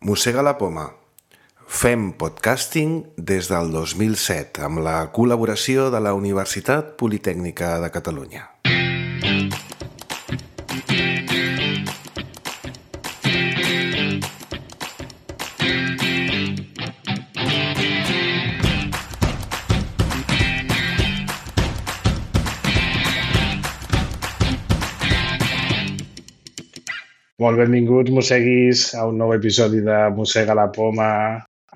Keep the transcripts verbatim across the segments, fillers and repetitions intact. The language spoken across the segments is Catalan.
Mossega la poma. Fem podcasting des del dos mil set amb la col·laboració de la Universitat Politècnica de Catalunya. Molt benvinguts, mosseguis, a un nou episodi de Mossega la poma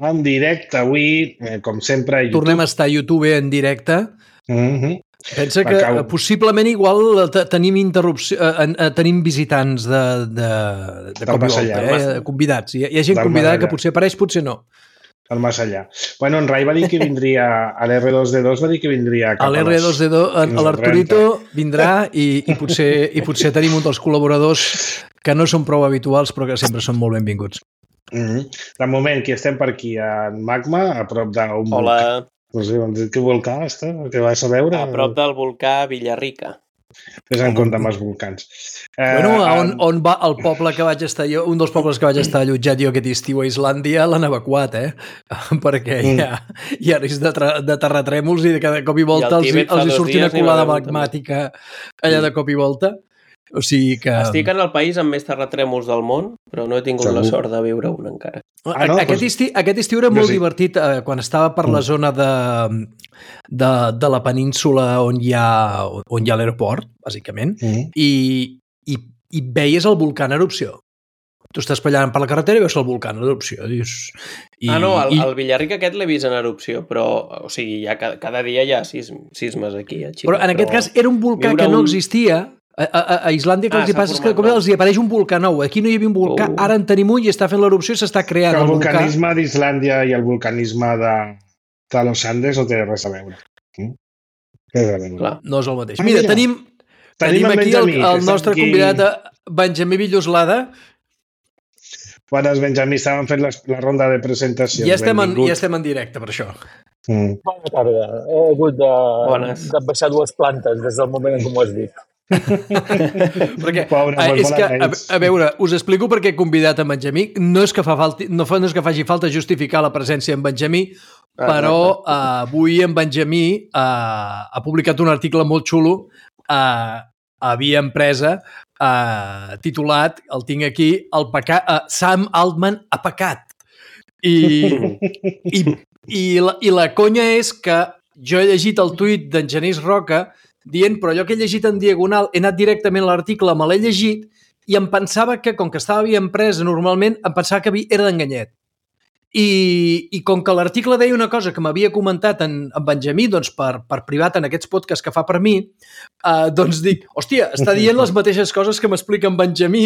en directe avui, eh, com sempre, a YouTube. Tornem a estar a YouTube en directe. Mm-hmm. Pensa que Acabo. possiblement igual tenim interrupció, eh, tenim visitants de, de, de cop i volta, eh? Convidats. Hi ha, hi ha gent Del convidada Masallà. que potser apareix, potser no. El més allà. Bueno, en Rai va dir que vindria, a l'R dos D dos va dir que vindria cap A l'R dos D dos, fins al l'Arturito trenta. vindrà i, i, potser, i potser tenim un dels col·laboradors que no són prou habituals però que sempre són molt benvinguts. Mm-hmm. De moment, qui estem per aquí? En Magma, a prop d'un volcà. Hola, No sé, què volcà està? Què vas a veure? a prop del volcà Villarrica. Fes en compte amb els volcans. Bueno, Eh, on, on va el poble que vaig estar jo, un dels pobles que vaig estar allotjat jo aquest estiu a Islàndia, l'han evacuat, eh? Perquè hi ha, hi ha risc de, tra- de terratrèmols i de cada cop i volta I al els, Tibet fa els hi dos sortia una dies n'hi va colada haver un, també. magmàtica allà de cop i volta. O sigui que... Estic en el país amb més terratrèmols del món, però no he tingut Segur. la sort de viure un encara. Ah, no? Aquest, Doncs- estiu, aquest estiu era Jo molt sí. divertit eh, quan estava per la zona de, de, de la península on hi ha, on hi ha l'aeroport, bàsicament, Mm. i, i, i veies el volcà en erupció. Tu estàs ballant per la carretera i veus el volcà en erupció. Dius, i, Ah, no, el, i, el Villarrica aquest l'he vist en erupció, però, o sigui, ja cada, cada dia hi ha sis, sismes aquí a Xile. però en aquest cas era un volcà viure que no un- existia. A, a, a Islàndia que Ah, els hi s'ha passa és que format com nou. els hi apareix un volcà nou. Aquí no hi havia un volcà, Oh. ara en tenim un i està fent l'erupció i s'està creant Que el el volcà. vulcanisme d'Islàndia i el vulcanisme de, de los Andes no té res a veure. Mm? Res a veure. Clar. No és el mateix. Ah, Mira, mira. tenim, Tenim tenim en aquí el, Benjamí, que el està nostre aquí. convidat, eh, Benjamí Villoslada. Bones, Benjamí, estàvem fent les, la ronda de presentacions. Ja estem, en, Benvingut. ja estem en directe, per això. Mm. Bona tarda. He hagut de, Bones. de baixar dues plantes des del moment en què m'ho has dit. Perquè, Pobre, eh, molt és que, a, bona ells. a veure, us explico per què he convidat en Benjamí. No és que, fa falti, no, fa, no és que faci falta justificar la presència en Benjamí, Ah, però eh, avui en Benjamí eh, ha publicat un article molt xulo eh, a Via Empresa eh, titulat, el tinc aquí, el pecat, eh, Sam Altman ha pecat. I, i, i, la, I la conya és que jo he llegit el tuit d'en Genís Roca dient, però allò que he llegit en diagonal, he anat directament a l'article, me l'he llegit i em pensava que, com que estava a Via Empresa normalment, em pensava que havia- era d'enganyet. I, i com que l'article deia una cosa que m'havia comentat en, en Benjamí, doncs per, per privat en aquests podcasts que fa per mi, eh, doncs dic, hòstia, està dient les mateixes coses que m'explica en Benjamí,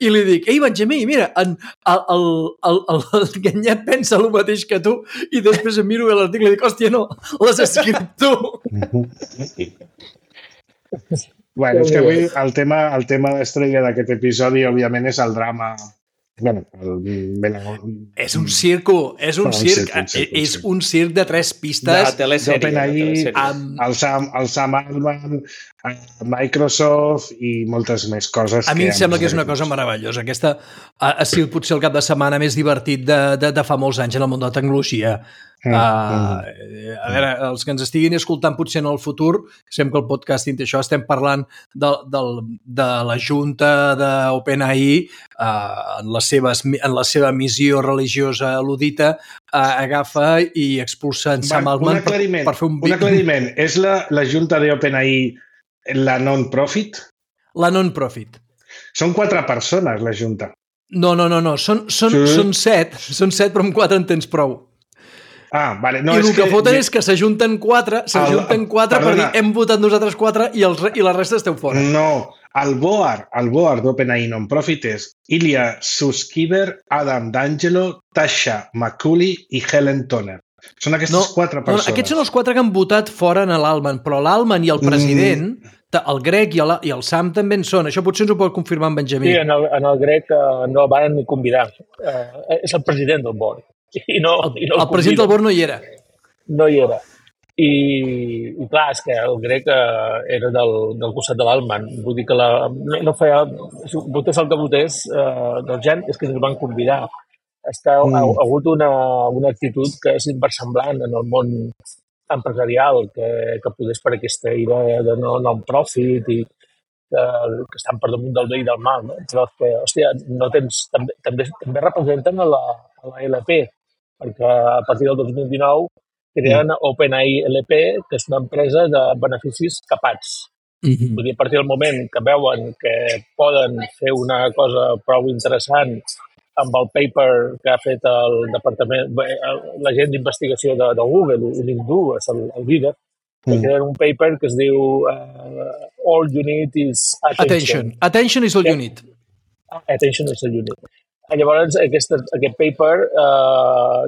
i li dic, ei, Benjamí, mira, en, el, el, el, el, el Ganyet pensa el mateix que tu, i després em miro a l'article i dic, hòstia, no, l'has escrit tu. Bueno, és que avui el tema, el tema estrella d'aquest episodi, òbviament, és el drama. Bueno, el... És un circo, és un Un circ, circ, un circ, un és circ. un circ de tres De pistes telesèrie. de d'OpenAI, telesèrie. amb... el Sam, el Sam Altman, eh, Microsoft i moltes més coses. A mi em que sembla que és una cosa meravellosa. Aquesta ha, ha sigut potser el cap de setmana més divertit de, de, de fa molts anys en el món de la tecnologia. Mm, Uh, a veure, els que ens estiguin escoltant potser en el futur, sempre que el podcasting té això, estem parlant de, de, de la junta d'OpenAI uh, en, les seves, en la seva missió religiosa ludita, uh, agafa i expulsa en Sam Va, un Altman per, aclariment, per fer un... un aclariment. És la, la junta d'OpenAI la non-profit? La non-profit. Són quatre persones, la junta. No, no, no, no. Són, són, Sí. són set, són set, però amb quatre en tens prou. Ah, vale. No, I el és que, que foten és que s'ajunten quatre, s'ajunten quatre per dir perdona. hem votat nosaltres quatre i, els, i la resta esteu fora. No, el board, el board d'OpenAI non-profit és Ilya Sutskever, Adam D'Angelo, Tasha McCulley i Helen Toner. Són aquestes No, quatre no, persones. aquests són els quatre que han votat fora en l'Alman, però l'Alman i el president, Mm. el Greg i el, i el Sam també en són. Això potser ens ho pot confirmar en Benjamí. Sí, en el, en el grec uh, no el van ni convidar. Uh, és el president del board. I no, El, i no el president del board no hi era. No hi era. I, i clar, és que el grec eh, era del, del costat de l'Alman. Vull dir que la, no, no feia... Votés el que votés, eh, del gent, és que ens van convidar. està, Mm. ha, ha hagut una, una actitud que és inversemblant en el món empresarial, que, que podés per aquesta idea de no non-profit i que, que estan per damunt del bé i del mal, no? Però que, hòstia, no tens, també, també, també representen a la, a la L P, perquè a partir del dos mil dinou creen mm. OpenAI L P, que és una empresa de beneficis capats. Mm-hmm. Vull dir, a partir del moment que veuen que poden fer una cosa prou interessant amb el paper que ha fet el departament, la gent d'investigació de, de Google, l'Indu, és el, el líder, que mm. creen un paper que es diu uh, All you need is attention. Attention. Attention is all you need. Attention is all you need. Llavors, aquest, aquest paper uh,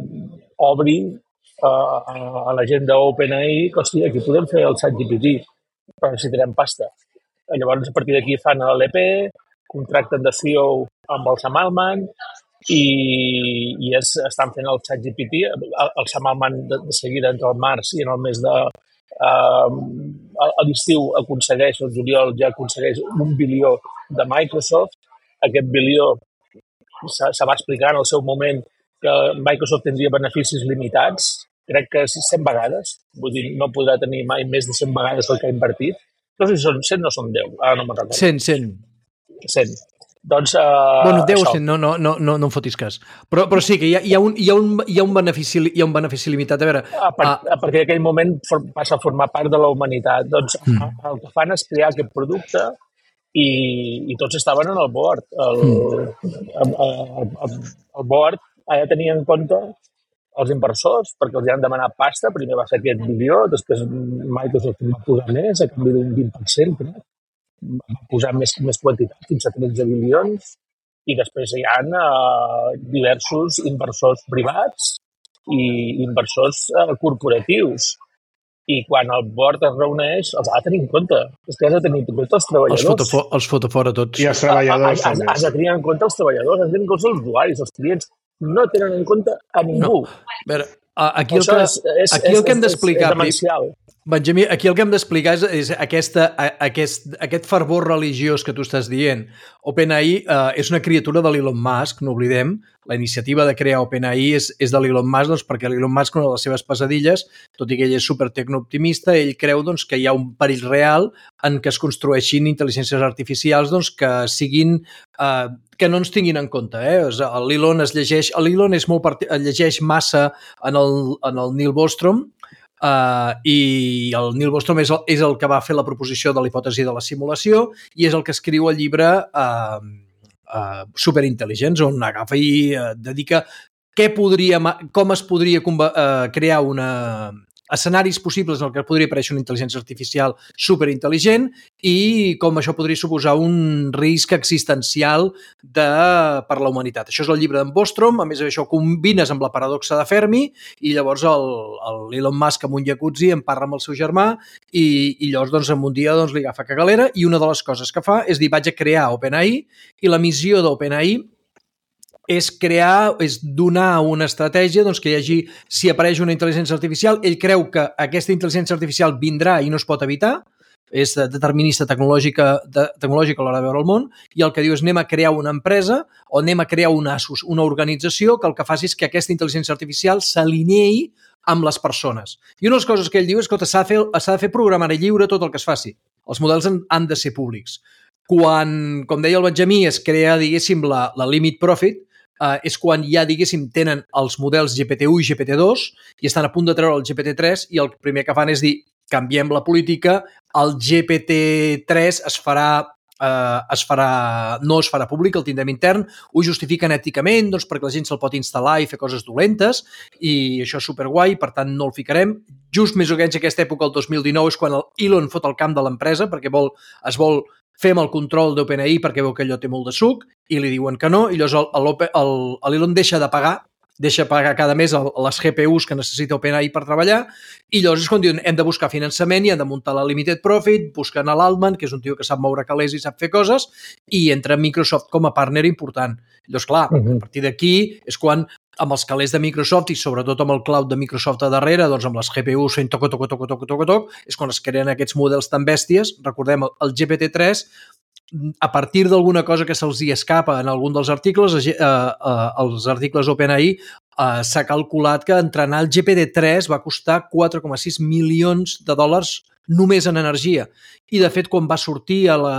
obri uh, a la gent d'OpenAI que, hòstia, aquí podem fer el ChatGPT, però necessitarem pasta. Llavors, a partir d'aquí fan l'L P, contracten de C E O amb el Sam Altman i, i es, estan fent el ChatGPT. El, el Sam Altman de, de seguida entre el març i en el mes de Uh, a l'estiu aconsegueix, el juliol ja aconsegueix un bilió de Microsoft. Aquest bilió se, se va explicar en el seu moment que Microsoft tindria beneficis limitats, crec que cent vegades, vull dir, no podrà tenir mai més de cent vegades el que ha invertit. No sé si són cent o són deu, ara no me'n recordo. cent, cent. cent. Doncs, uh, bueno, deu, això. no, no, no, no, no em fotis cas. Però, però sí que hi ha, hi, ha un, hi, ha un, hi, ha un benefici, hi ha un benefici limitat. A veure... A, part, a... a partir d'aquell moment for, passa a formar part de la humanitat. Doncs mm. el que fan és crear aquest producte i, i tots estaven en el board. El, mm. el, el, el, el board ha de tenir en compte els inversors, perquè els han demanat pasta. Primer va ser aquest bilió, després Microsoft va posar més, a canvi d'un vint per cent, crec. Va posar més, més quantitat, fins a tretze bilions, i després hi ha uh, diversos inversors privats i inversors uh, corporatius. I quan el board es reuneix, els ha de tenir en compte. És que has de tenir en compte els treballadors. Els fotofo, els fotofora tots. I els treballadors. Has, has, has de tenir en compte els treballadors, has de tenir en compte els usuaris, els clients. No tenen en compte a ningú. No. A veure, aquí el que, és, és, aquí el que hem d'explicar... És, és demencial. Benjamí, aquí el que hem d'explicar és, és aquesta, aquest, aquest fervor religiós que tu estàs dient. OpenAI eh, és una criatura de l'Elon Musk, no oblidem. La iniciativa de crear OpenAI és, és de l'Elon Musk, doncs, perquè l'Elon Musk, una de les seves pesadilles, tot i que ell és supertecnooptimista, ell creu doncs, que hi ha un perill real en què es construeixin intel·ligències artificials doncs, que siguin... Eh, que no ens tinguin en compte. Eh? L'Elon es llegeix... L'Elon és molt part... llegeix massa en el, en el Neil Bostrom, Uh, i el Neil Bostrom és el, és el que va fer la proposició de la hipòtesi de la simulació i és el que escriu el llibre uh, uh, Superintel·ligents, on agafa i uh, dedica què podria, com es podria uh, crear una, escenaris possibles en el que podria aparèixer una intel·ligència artificial superintel·ligent i com això podria suposar un risc existencial de, per la humanitat. Això és el llibre d'en Bostrom, a més això ho combines amb la paradoxa de Fermi i llavors l'Elon Musk amb un jacuzzi en parla amb el seu germà i, i llavors doncs, en un dia doncs, li agafa cagalera i una de les coses que fa és dir vaig a crear OpenAI i la missió d'OpenAI és crear, és donar una estratègia doncs, que hi hagi, si apareix una intel·ligència artificial, ell creu que aquesta intel·ligència artificial vindrà i no es pot evitar, és determinista tecnològica, de, tecnològica a l'hora de veure el món, i el que diu és anem a crear una empresa o anem a crear un ASUS, una organització que el que faci és que aquesta intel·ligència artificial s'alineï amb les persones. I una de les coses que ell diu és que s'ha de fer, s'ha de fer programari lliure tot el que es faci. Els models han, han de ser públics. Quan, com deia el Benjamí, es crea, diguéssim, la, la limit profit, Uh, és quan ja, diguéssim, tenen els models G P T u i G P T dos i estan a punt de treure el G P T tres i el primer que fan és dir, canviem la política, el G P T tres es farà, uh, es farà, no es farà públic, el tindrem intern, ho justifiquen èticament doncs, perquè la gent se'l pot instal·lar i fer coses dolentes i això és superguai, per tant no el ficarem. Just més o menys aquesta època, el dos mil dinou, és quan el Elon fot el camp de l'empresa perquè vol, es vol fem el control d'OpenAI perquè veu que allò té molt de suc i li diuen que no i llavors l'Elon deixa de pagar deixa pagar cada mes les G P Us que necessita OpenAI per treballar i llavors és quan diuen hem de buscar finançament i hem de muntar la Limited Profit, busquen a l'Altman, que és un tio que sap moure calés i sap fer coses i entra Microsoft com a partner important. Llavors, clar, uh-huh. a partir d'aquí és quan amb els calés de Microsoft i sobretot amb el cloud de Microsoft a darrere, doncs amb les G P Us fent toc, toc, toc, toc, toc, toc, toc, és quan es creen aquests models tan bèsties. Recordem, el G P T tres a partir d'alguna cosa que se'ls hi escapa en algun dels articles, eh, eh, els articles OpenAI, eh, s'ha calculat que entrenar el G P T tres va costar quatre coma sis milions de dòlars només en energia. I, de fet, quan va sortir, a la,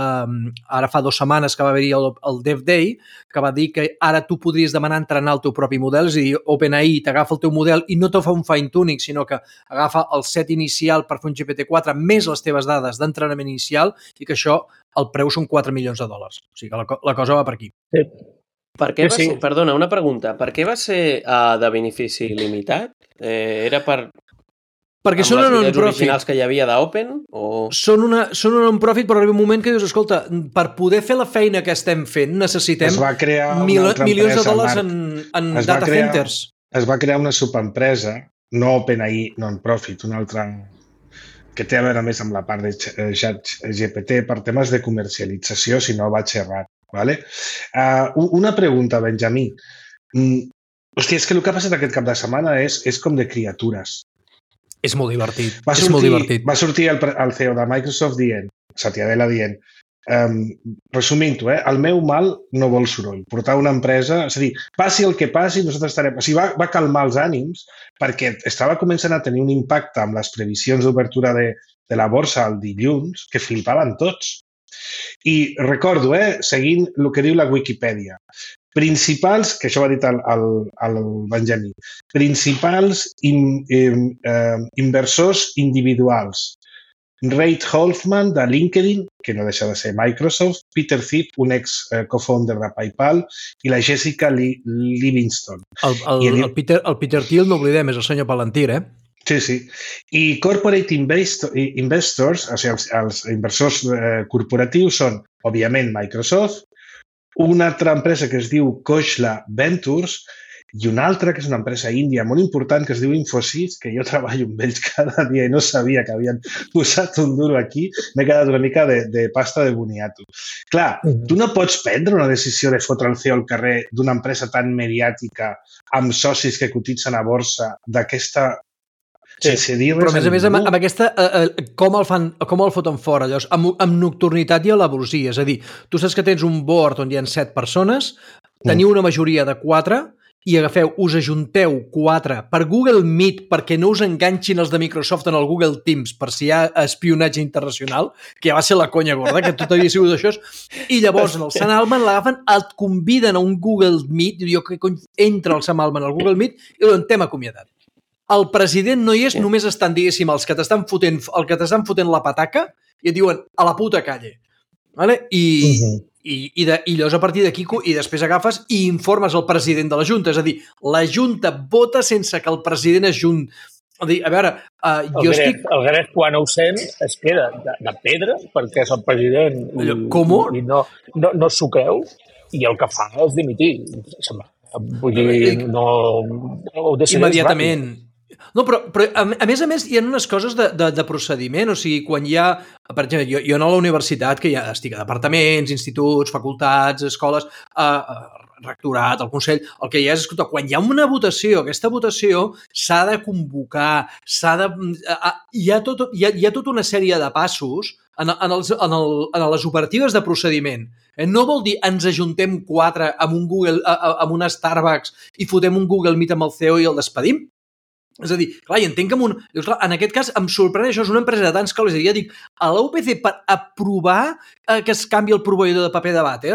ara fa dues setmanes que va haver-hi el, el Dev Day, que va dir que ara tu podries demanar entrenar el teu propi model, és a dir, OpenAI t'agafa el teu model i no te fa un fine-tuning, sinó que agafa el set inicial per fer un G P T quatre més les teves dades d'entrenament inicial i que això, el preu són quatre milions de dòlars. O sigui que la, la cosa va per aquí. Sí. Per què va Sí, sí. ser, perdona, una pregunta. Per què va ser uh, de benefici limitat? Eh, era per... Perquè amb són les una idees non-profit. originals que hi havia d'Open? O... Són una, són una non-profit, però arriba un moment que dius, escolta, per poder fer la feina que estem fent necessitem Es va crear una mil, altra milions de empresa, dòlars Marc. en, en Es va data crear- centers. Es va crear una subempresa, no OpenAI non-profit, una altra que té a veure més amb la part de chat G P T per temes de comercialització, si no vaig errat. Vale? Uh, una pregunta, Benjamí. Mm, hòstia, és que el que ha passat aquest cap de setmana és, és com de criatures. És molt divertit. Va és molt sortir, divertit. va sortir el, pre- el C E O de Microsoft dient, Satya Nadella dient, um, resumint-ho, eh, el meu mal no vol soroll. Portar una empresa, és a dir, passi el que passi, nosaltres estarem... O sigui, va, va calmar els ànims perquè estava començant a tenir un impacte amb les previsions d'obertura de, de la borsa el dilluns que flipaven tots. I recordo, eh, seguint el que diu la Wikipedia, principals, que això ho ha dit el, el, el Benjamí, principals in, in, eh, inversors individuals. Reid Hoffman, de LinkedIn, que no deixa de ser Microsoft, Peter Thiel, un ex-co-founder de PayPal, i la Jessica Li- Livingston. El, el, I ell- el, Peter, el Peter Thiel, no oblidem, és el senyor Palantir, eh? Sí, sí. I corporate investor, investors, o sigui, els, els inversors eh, corporatius són, òbviament, Microsoft, una altra empresa que es diu Khosla Ventures i una altra que és una empresa índia molt important que es diu Infosys, que jo treballo amb ells cada dia i no sabia que havien posat un duro aquí. M'he quedat una mica de, de pasta de boniato. Clar, Mhm. tu no pots prendre una decisió de fotre el C E O al carrer d'una empresa tan mediàtica amb socis que cotitzen a borsa d'aquesta... Sí. Sense dir Però, res a més a més, amb, ningú. amb aquesta... Eh, eh, com, el fan, com el foten fora, llavors? Amb, amb nocturnitat i alevosía. És a dir, tu saps que tens un board on hi ha set persones, teniu una majoria de quatre i agafeu, us ajunteu quatre per Google Meet perquè no us enganxin els de Microsoft en el Google Teams per si hi ha espionatge internacional, que ja va ser la conya gorda, que tot havia sigut això. I llavors, en el Sam Altman l'agafen, et conviden a un Google Meet, i jo que cony, entra el Sam Altman al Google Meet i diuen, t'hem acomiadat. El president no hi és, només estan, diguéssim, els que t'estan fotent, el que t'estan fotent la pataca i et diuen, a la puta calle. Vale? I, Mhm. i, i, de, i llavors a partir d'aquí i després agafes i informes el president de la Junta. És a dir, la Junta vota sense que el president es junt. A dir, a veure, uh, El jo Gref, estic... el Gref, quan ho sent, es queda de, de pedra perquè és el president i, Allò, com? i no, no, no s'ho creu i el que fa és dimitir. Se'n va. Vull dir, no, ho decideix Immediatament. No, però, però a, a més a més hi ha unes coses de, de, de procediment, o sigui, quan hi ha, per exemple, jo, jo a la universitat, que ja estic a departaments, instituts, facultats, escoles, eh, eh, rectorat, el Consell, el que hi ha és, escolta, quan hi ha una votació, aquesta votació s'ha de convocar, s'ha de... Eh, hi, ha tot, hi, ha, hi ha tota una sèrie de passos en, en, els, en, el, en les operatives de procediment. Eh, no vol dir ens ajuntem quatre amb un Google, eh, amb una Starbucks i fotem un Google Meet amb el C E O i el despedim. És a dir, clar, i entenc que en, un, dius, clar, en aquest cas em sorprèn això, és una empresa de tants cables, i ja dic, a l'U P C per aprovar eh, que es canvi el proveïdor de paper de vàter,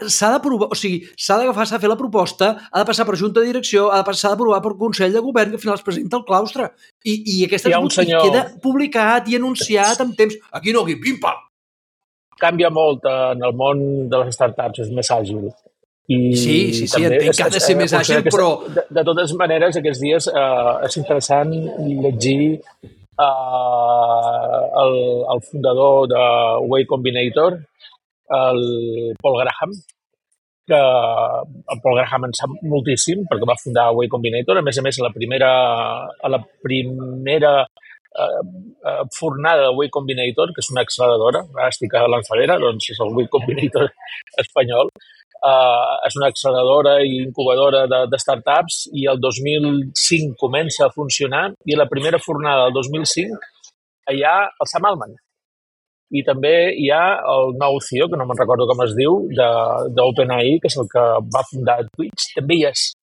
s'ha d'aprovar, o sigui, s'ha d'agafar, s'ha de fer la proposta, ha de passar per junta de direcció, ha de passar, s'ha d'aprovar per Consell de Govern, que al final es presenta al claustre. I, i aquesta Hi ha un senyor- i queda publicat i anunciat amb temps. Aquí no, aquí, pim-pam. Canvia molt en el món de les startups, és més àgil. I Sí, sí, sí, també entenc que ha de ser més àgil, aquesta- però... De, de totes maneres, aquests dies eh, és interessant llegir eh, el, el fundador de Way Combinator, el Paul Graham, que el Paul Graham en sap moltíssim perquè va fundar Way Combinator. A més a més, a la primera, a la primera eh, eh, fornada de Way Combinator, que és una acceleradora, ara estic a Lanzadera, doncs és el Way Combinator espanyol, Uh, és una acceleradora i incubadora de, de startups i el dos mil cinc comença a funcionar i la primera fornada del dos mil cinc hi ha el Sam Altman. i també hi ha el nou C E O, que no me'n recordo com es diu, d'OpenAI, que és el que va fundar Twitch, també hi és.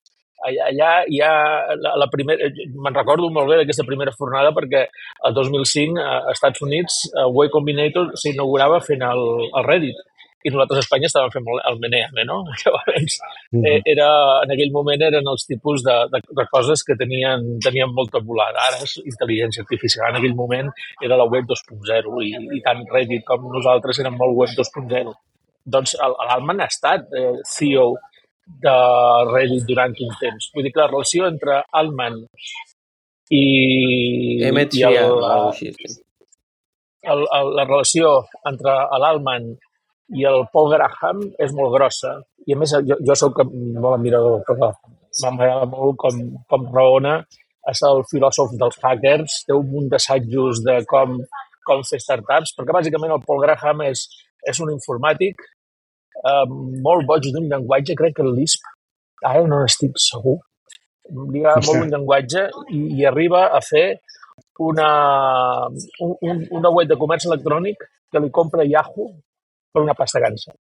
Allà, allà hi ha la, la primera... Me'n recordo molt bé d'aquesta primera fornada perquè el dos mil cinc a Estats Units Y Combinator s'inaugurava fent el, el Reddit i nosaltres a Espanya estàvem fent el Meneame, no? Llavors, eh, era, en aquell moment eren els tipus de, de, de coses que tenien, tenien molta volada. Ara és intel·ligència artificial. En aquell moment era la web dos punt zero i, i tant Reddit com nosaltres érem molt web dos punt zero. Doncs l'Alman ha estat eh, C E O de Reddit durant un temps. Vull dir que la relació entre Altman i, Emmett i el, Shear, el, el, la relació entre l'Alman i el Paul Graham és molt grossa. I a més, jo, jo soc molt admirador, però m'agrada molt com, com raona. És el filòsof dels hackers, té un munt d'assajos de com, com fer startups, perquè bàsicament el Paul Graham és, és un informàtic Uh, molt boig d'un llenguatge, crec que el Lisp, ara no n'estic segur, li agrada molt un llenguatge i, i arriba a fer una, un, una web de comerç electrònic que li compra Yahoo per una pasta gansa.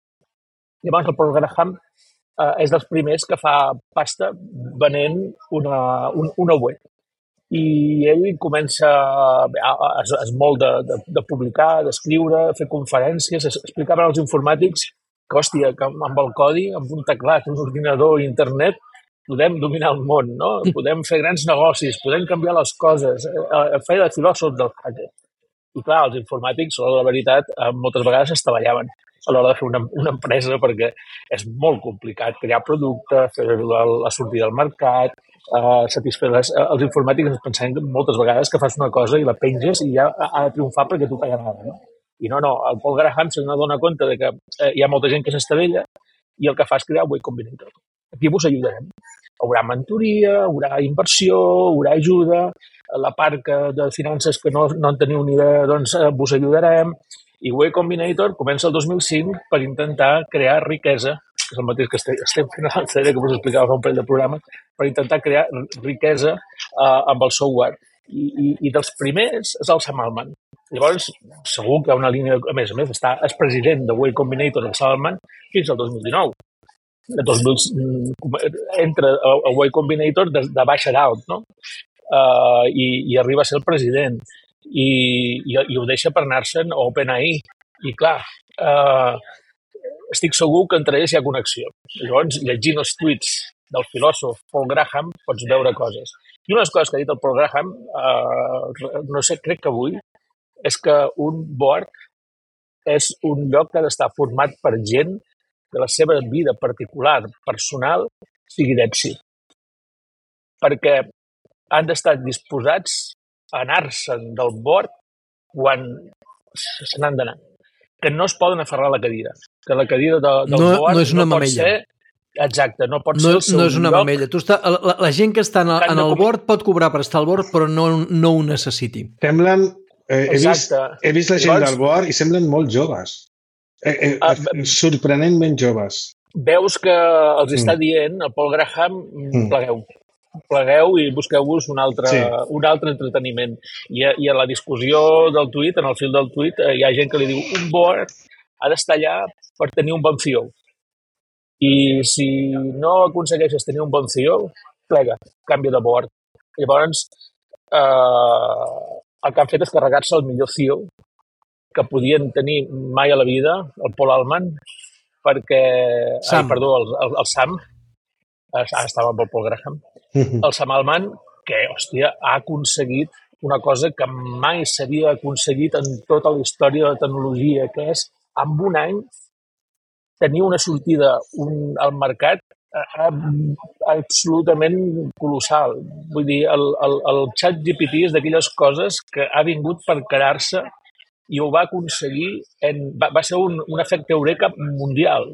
Llavors el Paul Graham uh, és dels primers que fa pasta venent una, un, una web. I ell comença, es, es molt de, de, de publicar, d'escriure, fer conferències, explicava als informàtics que, hòstia, que amb el codi, amb un teclat, un ordinador i internet, podem dominar el món, no? Podem fer grans negocis, podem canviar les coses, feia de filòsof del hacker. I clar, els informàtics, a la veritat, moltes vegades es treballaven a l'hora de fer una, una empresa perquè és molt complicat crear producte, fer la, la sortida al mercat, uh, satisfer les... Els informàtics ens pensem que moltes vegades que fas una cosa i la penges i ja ha de triomfar perquè tu t'agrada, no? I no, no, el Paul Graham se n'adona compte de que eh, hi ha molta gent que s'estavella i el que fa és crear Y Combinator. Aquí vos ajudarem. Haurà mentoria, haurà inversió, haurà ajuda, la part que, de finances que no, no en teniu ni idea, doncs eh, vos ajudarem. I Y Combinator comença el dos mil cinc per intentar crear riquesa, que és el mateix que estem, estem fent a l'A C D, que us explicava fa un parell de programes, per intentar crear riquesa eh, amb el software. I, i, I dels primers és el Sam Altman. Llavors, segur que hi ha una línia... A més a més, està el president de Y Combinator, el Sam Altman, fins al dos mil dinou. El dos mil entra a Y Combinator de, de baix a dalt, no? Uh, i, I arriba a ser el president. I, i, i ho deixa per anar-se'n a OpenAI. I clar, uh, estic segur que entre ells hi ha connexió. Llavors, llegint els tuits del filòsof Paul Graham, pots veure coses. I una de les coses que ha dit el Paul Graham, uh, no sé, crec que avui, és que un board és un lloc que ha d'estar format per gent que la seva vida particular, personal, sigui d'èxit. Perquè han d'estar disposats a anar-se'n del board quan se n'han d'anar. Que no es poden aferrar a la cadira. Que la cadira de, del no, board no, és una no pot mamella. ser... Exacte, no pot no, ser el seu no és una lloc. mamella. Tu està, la, la gent que està en, el, en el board pot cobrar per estar al board, però no, no ho necessiti. Semblen... Eh, he, vist, Exacte. he vist la gent Llavors, del board i semblen molt joves. Eh, eh, Ah, sorprenentment joves. veus que els està Mm. dient, el Paul Graham, Mm. plegueu. Plegueu i busqueu-vos un altre, Sí. un altre entreteniment. I, a- I a la discussió del tuit, en el fil del tuit, eh, hi ha gent que li diu un board ha d'estar allà per tenir un bon C E O. I si no aconsegueixes tenir un bon C E O, plega, canvia de board. Llavors, eh, el que han fet és carregar-se el millor C E O que podien tenir mai a la vida, el Paul Altman, perquè... Sam. Ai, perdó, el, el, el Sam. Ara estava amb el Paul Graham. El Sam Altman, que, hòstia, ha aconseguit una cosa que mai s'havia aconseguit en tota la història de la tecnologia, que és, en un any, tenir una sortida un, al mercat eh, absolutament colossal. Vull dir, el, el, el ChatGPT és d'aquelles coses que ha vingut per quedar-se i ho va aconseguir, en, va, va ser un, un efecte eureka mundial.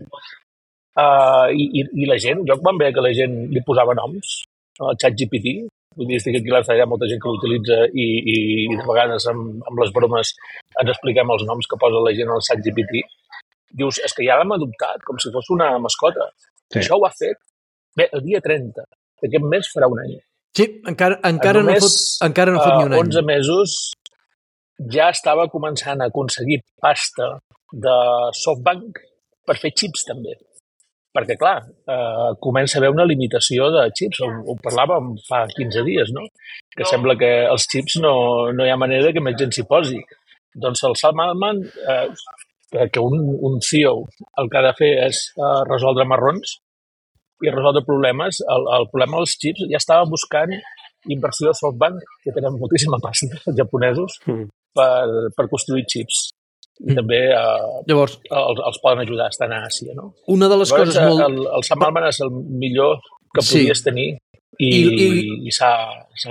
Uh, i, i, I la gent, jo quan veia que la gent li posava noms al ChatGPT, vull dir, estic aquí a l'A, hi ha molta gent que l'utilitza i, i, i de vegades amb, amb les bromes ens expliquem els noms que posa la gent al ChatGPT. Dius, és que ja l'hem adoptat com si fos una mascota. Sí. Això ho ha fet bé, el dia trenta d'aquest mes farà un any. Sí, encara, encara, Només, no, fot, encara no fot ni un uh, any. onze mesos, ja estava començant a aconseguir pasta de SoftBank per fer xips també. Perquè, clar, eh, comença a haver una limitació de xips. Ho, ho parlàvem fa quinze dies, no? Que sembla que els xips no, no hi ha manera que més gent s'hi posi. Doncs el Sam Altman, eh, que un, un C E O el que ha de fer és eh, resoldre marrons i resoldre problemes. El, el problema dels xips ja estava buscant inversió de SoftBank, que tenen moltíssima pasta, els japonesos, mm. per, per construir xips. I també eh, Llavors, els, els poden ajudar a estar a Àsia, no? Una de les Llavors, coses molt... El, el Sam Altman és el millor que sí. podies tenir i, I, i, i s'ha...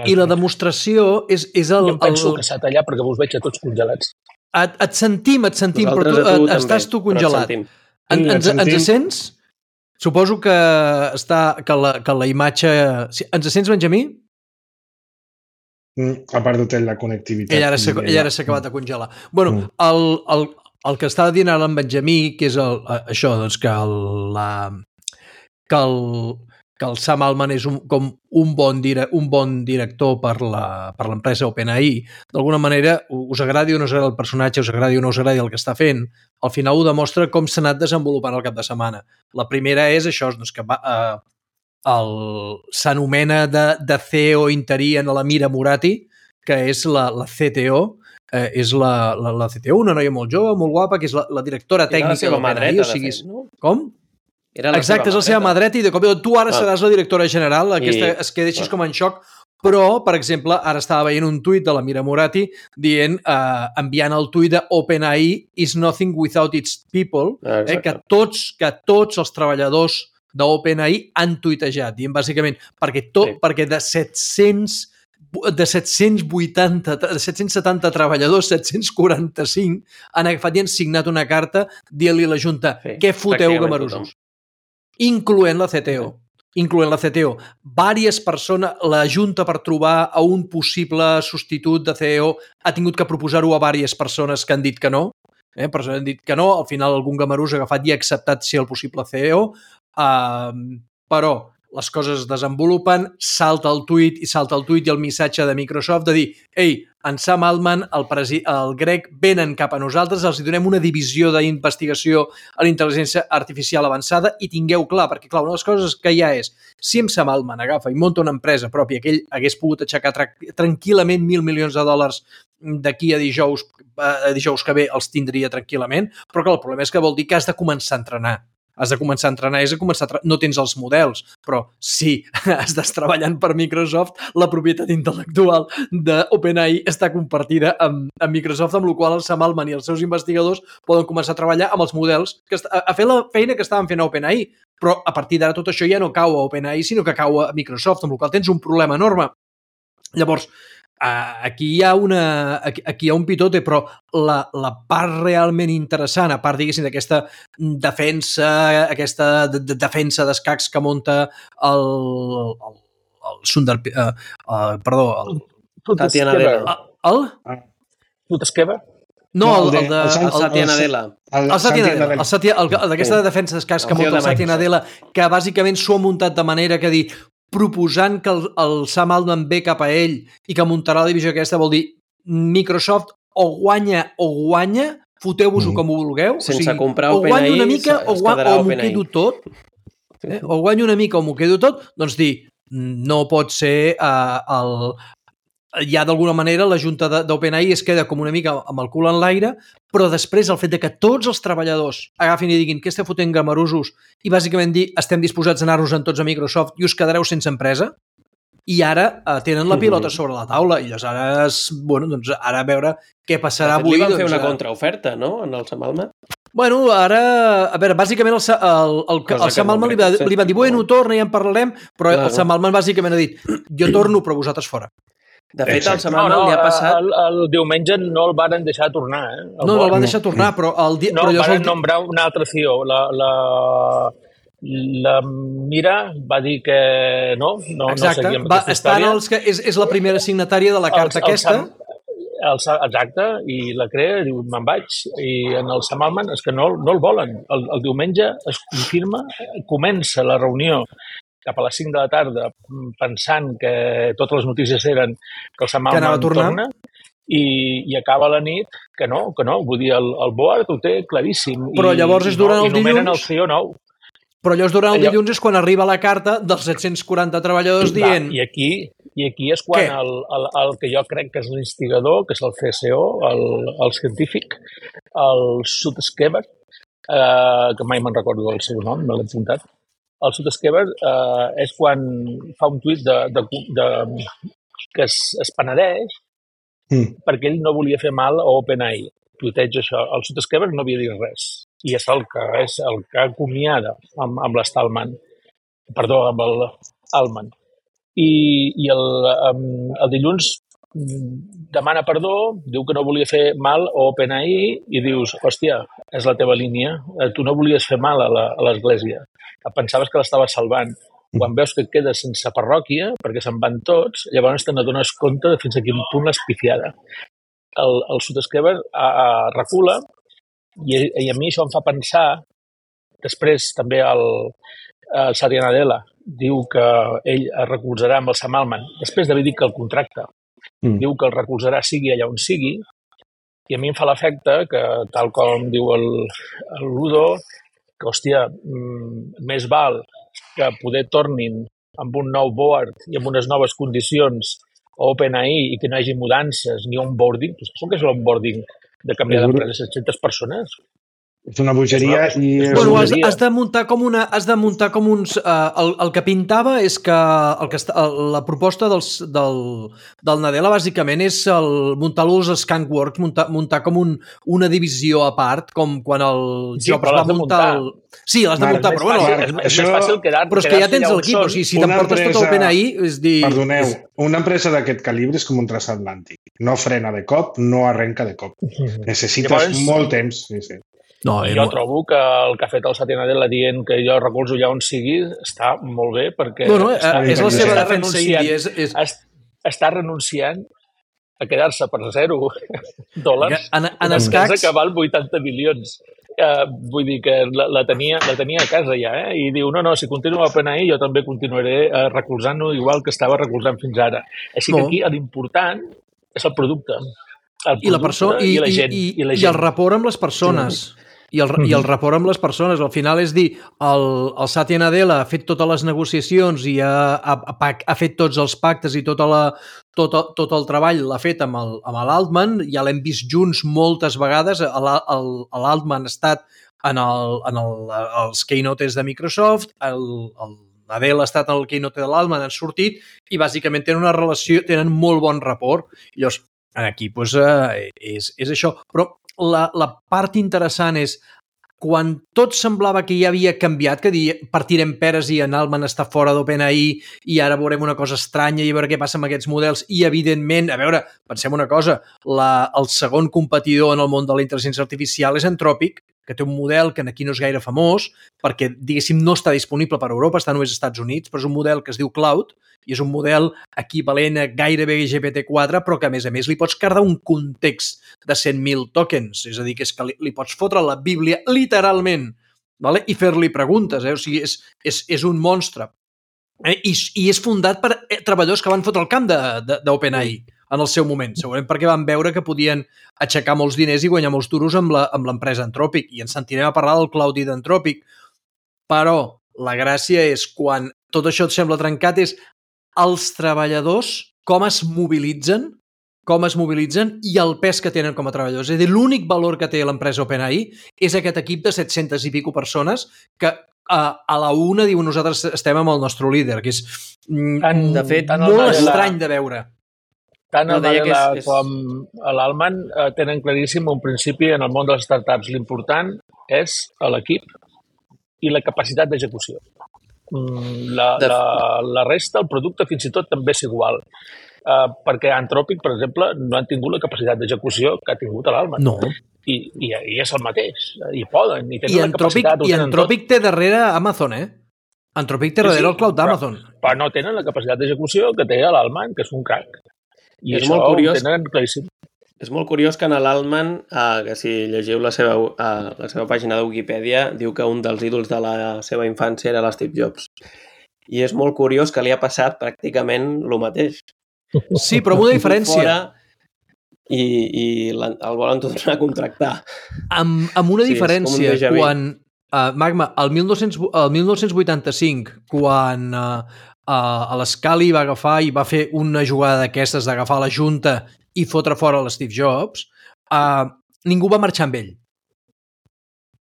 I la demostració és, és el... Jo penso el... que s'ha tallat perquè vos veig a tots congelats. Et, et sentim, et sentim, Nosaltres però tu, tu et, estàs tu congelat. En, ens, ens sents? Suposo que, està, que, la, que la imatge... Ens sents, Benjamí? Ha perdut la connectivitat. Ell ara s'ha acabat de congelar. Bueno, mm. el, el, el que estava dient ara en Benjamí, que és el, això, doncs que el, la, que el, que el Sam Altman és un, com un bon, dire, un bon director per l'empresa OpenAI, d'alguna manera, us agradi o no us agradi el personatge, us agradi o no us agradi el que està fent, al final ho demostra com s'ha anat desenvolupant el cap de setmana. La primera és això, doncs que va... Eh, s'anomena de, de C E O interí en la Mira Murati, que és la, la C T O, eh, és la, la, la C T O, una noia molt jove, molt guapa, que és la, la directora tècnica de l'OpenAI. O sigui, no? Com? Era la Exacte, és la seva mà dreta i de cop tu ara ah. seràs la directora general, aquesta, I... es queda així ah. com en xoc, però, per exemple, ara estava veient un tuit de la Mira Murati dient, eh, enviant el tuit de OpenAI is nothing without its people, ah, eh, que tots, que tots els treballadors d'OpenAI han tuitejat, dient bàsicament perquè, tot, sí. perquè de set-cents de set-cents vuitanta, de set-cents setanta treballadors, set-cents quaranta-cinc han agafat i han signat una carta dient-li a la Junta sí, què foteu gamarusos, incloent la C T O. Sí. incloent la C T O. Vàries persones, la Junta per trobar a un possible substitut de C E O ha tingut que proposar-ho a vàries persones que han dit que no, eh? Persones han dit que no, al final algun gamarús ha agafat i ha acceptat ser el possible C E O. Uh, però les coses es desenvolupen, salta el tuit i salta el tuit i el missatge de Microsoft de dir, ei, en Sam Altman, el, presi el grec, venen cap a nosaltres, els donem una divisió d'investigació a la intel·ligència artificial avançada i tingueu clar, perquè clar, una de les coses que hi ha és, si en Sam Altman agafa i munta una empresa pròpia que ell hagués pogut aixecar tra tranquil·lament mil milions de dòlars d'aquí a dijous, a dijous que ve els tindria tranquil·lament, però clar, el problema és que vol dir que has de començar a entrenar. Has de començar a entrenar, és a començar a no tens els models, però sí, estàs treballant per Microsoft, la propietat intel·lectual d'OpenAI està compartida amb, amb Microsoft, amb la qual el Sam Altman i els seus investigadors poden començar a treballar amb els models, que a, a fer la feina que estaven fent a OpenAI, però a partir d'ara tot això ja no cau a OpenAI, sinó que cau a Microsoft, amb la qual tens un problema enorme. Llavors, aquí hi ha una aquí, aquí hi ha un pitote, però la, la part realment interessant, a part, diguéssim, d'aquesta defensa, aquesta de, de defensa d'escacs que munta el, el, el Sundar, uh, uh, perdó, el Satya Nadella. El? Tutesqueva? No, el, el de... El Satya Nadella. El Satya Nadella. D'aquesta defensa d'escacs que munta el Satya Nadella, que bàsicament s'ho ha muntat de manera que dir proposant que el, el Sam Altman ve cap a ell i que muntarà la divisió aquesta, vol dir Microsoft o guanya o guanya, foteu-vos-ho mm. com ho vulgueu, sense o sigui, comprar o guanyo una mica o, o m'ho quedo tot, eh? o guanyo una mica o m'ho quedo tot, doncs dir, no pot ser uh, el... ja d'alguna manera la junta d'OpenAI es queda com una mica amb el cul en l'aire, però després el fet de que tots els treballadors agafin i diguin que esteu fotent gamarusos i bàsicament dir estem disposats a anar-nos en tots a Microsoft i us quedareu sense empresa, i ara eh, tenen la pilota sobre la taula i aleshores, bueno, doncs ara a veure què passarà avui. Li van fer doncs, una contraoferta, no?, en el Sam Altman? Bueno, ara, a veure, bàsicament el, el, el, el Sam Altman li, va, li van dir, bueno, torna, ja en parlarem, però clar, el Sam Altman bàsicament ha dit, jo torno, però vosaltres fora. De fet, el Sam Altman no, no, li ha passat... El, el diumenge no el varen deixar tornar, eh? El no, no el van deixar tornar, però... El di... No, però varen el... nombrar un altre C E O. La, la, la Mira va dir que no, no, exacte. no seguia amb va, aquesta història. Els que és, és la primera signatària de la carta el, el aquesta. Sam, el, exacte, i la crea, diu, me'n vaig, i en el Sam Altman és que no, no el volen. El, el diumenge es confirma, comença la reunió cap a les cinc de la tarda, pensant que totes les notícies eren que el Sam Altman torna, i, i acaba la nit que no, que no, vull dir, el, el board ho té claríssim. Però llavors és durant no, el dilluns... I nomenen dilluns... el C E O nou. Però llavors durant el Allò... dilluns és quan arriba la carta dels set-cents quaranta treballadors dient... Va, i aquí... I aquí és quan el, el, el que jo crec que és l'instigador, que és el C C O, el, el científic, el Sutskever, eh, que mai me'n recordo del seu nom, me l'he apuntat. El Sutskever eh, és quan fa un tuit de, de, de, que es, es penedeix mm. perquè ell no volia fer mal a OpenAI. Tuiteja això. El Sutskever no havia dit res. I és el que, és el que acomiada amb, amb l'Stallman. Perdó, amb el Altman. I, i el, um, el dilluns demana perdó, diu que no volia fer mal a OpenAI i dius, hòstia, és la teva línia, tu no volies fer mal a l'Església, pensaves que l'estaves salvant. Quan veus que et quedes sense parròquia, perquè se'n van tots, llavors te n'adones compte de fins a quin punt l'has pifiada. El, el Sutskever recula i, i a mi això em fa pensar, després també el, el Satya Nadella diu que ell es recolzarà amb el Sam Altman, després d'haver dit que el contracte, mm. diu que el recolzarà sigui allà on sigui, i a mi em fa l'efecte que, tal com diu el, el Ludo, que, hòstia, mm, més val que poder tornin amb un nou board i amb unes noves condicions a OpenAI i que no hi hagi mudances ni onboarding. Tu saps què és l'onboarding de canviar d'empresa set-centes persones? És una bogeria és una, i... és Bueno, has, has de muntar com una... Has de muntar com uns... Uh, el, el que pintava és que, el que està, la proposta dels, del, del Nadella bàsicament és el, muntar-lo als Skunkworks, muntar, muntar com un, una divisió a part, com quan el sí, Jobs va muntar... muntar el... Sí, l'has de muntar, però bueno... És, és més fàcil quedar, però és que ja tens l'equip, o sigui, si t'emportes tot el OpenAI... És dir... Perdoneu, una empresa d'aquest calibre és com un transatlàntic. No frena de cop, no arrenca de cop. Necessites Llavors... molt temps. Sí, sí. No, jo molt... trobo que el que ha fet el Satya Nadella dient que jo recolzo ja on sigui està molt bé perquè... Bueno, està, és la seva defensa indi. És, és... Està renunciant a quedar-se per zero dòlars en, en escacs... que val vuitanta milions. Uh, vull dir que la, la, tenia, la tenia a casa ja, eh? I diu, no, no, si continua a OpenAI jo també continuaré uh, recolzant-ho igual que estava recolzant fins ara. Així que aquí l'important és el producte. El I la persona i, i, la gent, i, i, i, la gent. I el rapport amb les persones. Sí. I el, I el rapport amb les persones. Al final és dir, el, el Satya Nadella ha fet totes les negociacions i ha, ha, ha fet tots els pactes i tota la, tot, tot el treball l'ha fet amb l'Altman. Ja l'hem vist junts moltes vegades. L'Altman ha estat en, el, en el, els keynotes de Microsoft, el, el Nadella ha estat en el keynote de l'Altman, han sortit i bàsicament tenen una relació, tenen molt bon rapport. I llavors, aquí doncs, eh, és, és això. Però La, la part interessant és quan tot semblava que ja havia canviat, que dir, partirem peres i en Altman està fora d'OpenAI i ara veurem una cosa estranya i a veure què passa amb aquests models i, evidentment, a veure, pensem una cosa, la, el segon competidor en el món de la intel·ligència artificial és Anthropic, que té un model que aquí no és gaire famós perquè, diguéssim, no està disponible per Europa, està només als Estats Units, però és un model que es diu Cloud i és un model equivalent a gairebé G P T quatre, però que, a més a més, li pots carregar un context de cent mil tokens, és a dir, que, és que li, li pots fotre la Bíblia literalment, vale? I fer-li preguntes, eh? O sigui, és, és, és un monstre. Eh? I, I és fundat per treballadors que van fotre el camp d'OpenAI en el seu moment, segurament perquè van veure que podien aixecar molts diners i guanyar molts duros amb l'empresa Anthropic, i ens sentirem a parlar del Cloud i d'Anthropic, però la gràcia és quan tot això et sembla trencat és els treballadors, com es mobilitzen, com es mobilitzen i el pes que tenen com a treballadors. És a dir, l'únic valor que té l'empresa OpenAI és aquest equip de set-centes i pico persones que a, a la una diuen nosaltres estem amb el nostre líder, que és tant, de fet, tant molt estrany de veure. Tant el Nadella és... com l'Altman eh, tenen claríssim un principi en el món de les startups. L'important és l'equip i la capacitat d'execució. La, de... la, la resta, el producte, fins i tot també és igual. Uh, perquè Anthropic, per exemple, no han tingut la capacitat d'execució que ha tingut l'Altman. No. I, i, I és el mateix. I poden. I tenen I la Anthropic, capacitat. I Anthropic té darrere Amazon, eh? Anthropic té darrere sí, sí, el cloud d'Amazon. Però, però no tenen la capacitat d'execució que té l'Altman, que és un crack. I és això molt curiós, ho tenen claríssim. És molt curiós que en l'Altman, eh, que si llegiu la seva, eh, la seva pàgina de Wikipedia, diu que un dels ídols de la seva infància era l'Steve Jobs. I és molt curiós que li ha passat pràcticament el mateix. Sí, però amb una diferència. Fora, i, i el volen tornar a contractar. Amb, amb una sí, diferència, quan uh, Magma, el, mil nou-cents, el mil nou-cents vuitanta-cinc, quan uh, uh, l'Scully va agafar i va fer una jugada d'aquestes d'agafar la junta i fotre fora l'Steve Jobs, uh, ningú va marxar amb ell.